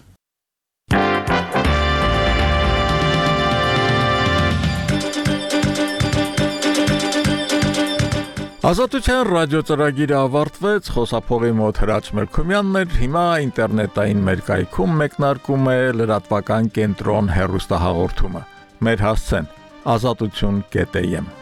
Ազատության ռադիոծրագիրը ավարտվեց, խոսափողի մոտ Հրաչ Մելքումյանն էր, հիմա ինտերնետային մեր կայքում մեկնարկում է լրատվական կենտրոն հեռուստահաղորդումը։ Մեր հասցեն azatutun.am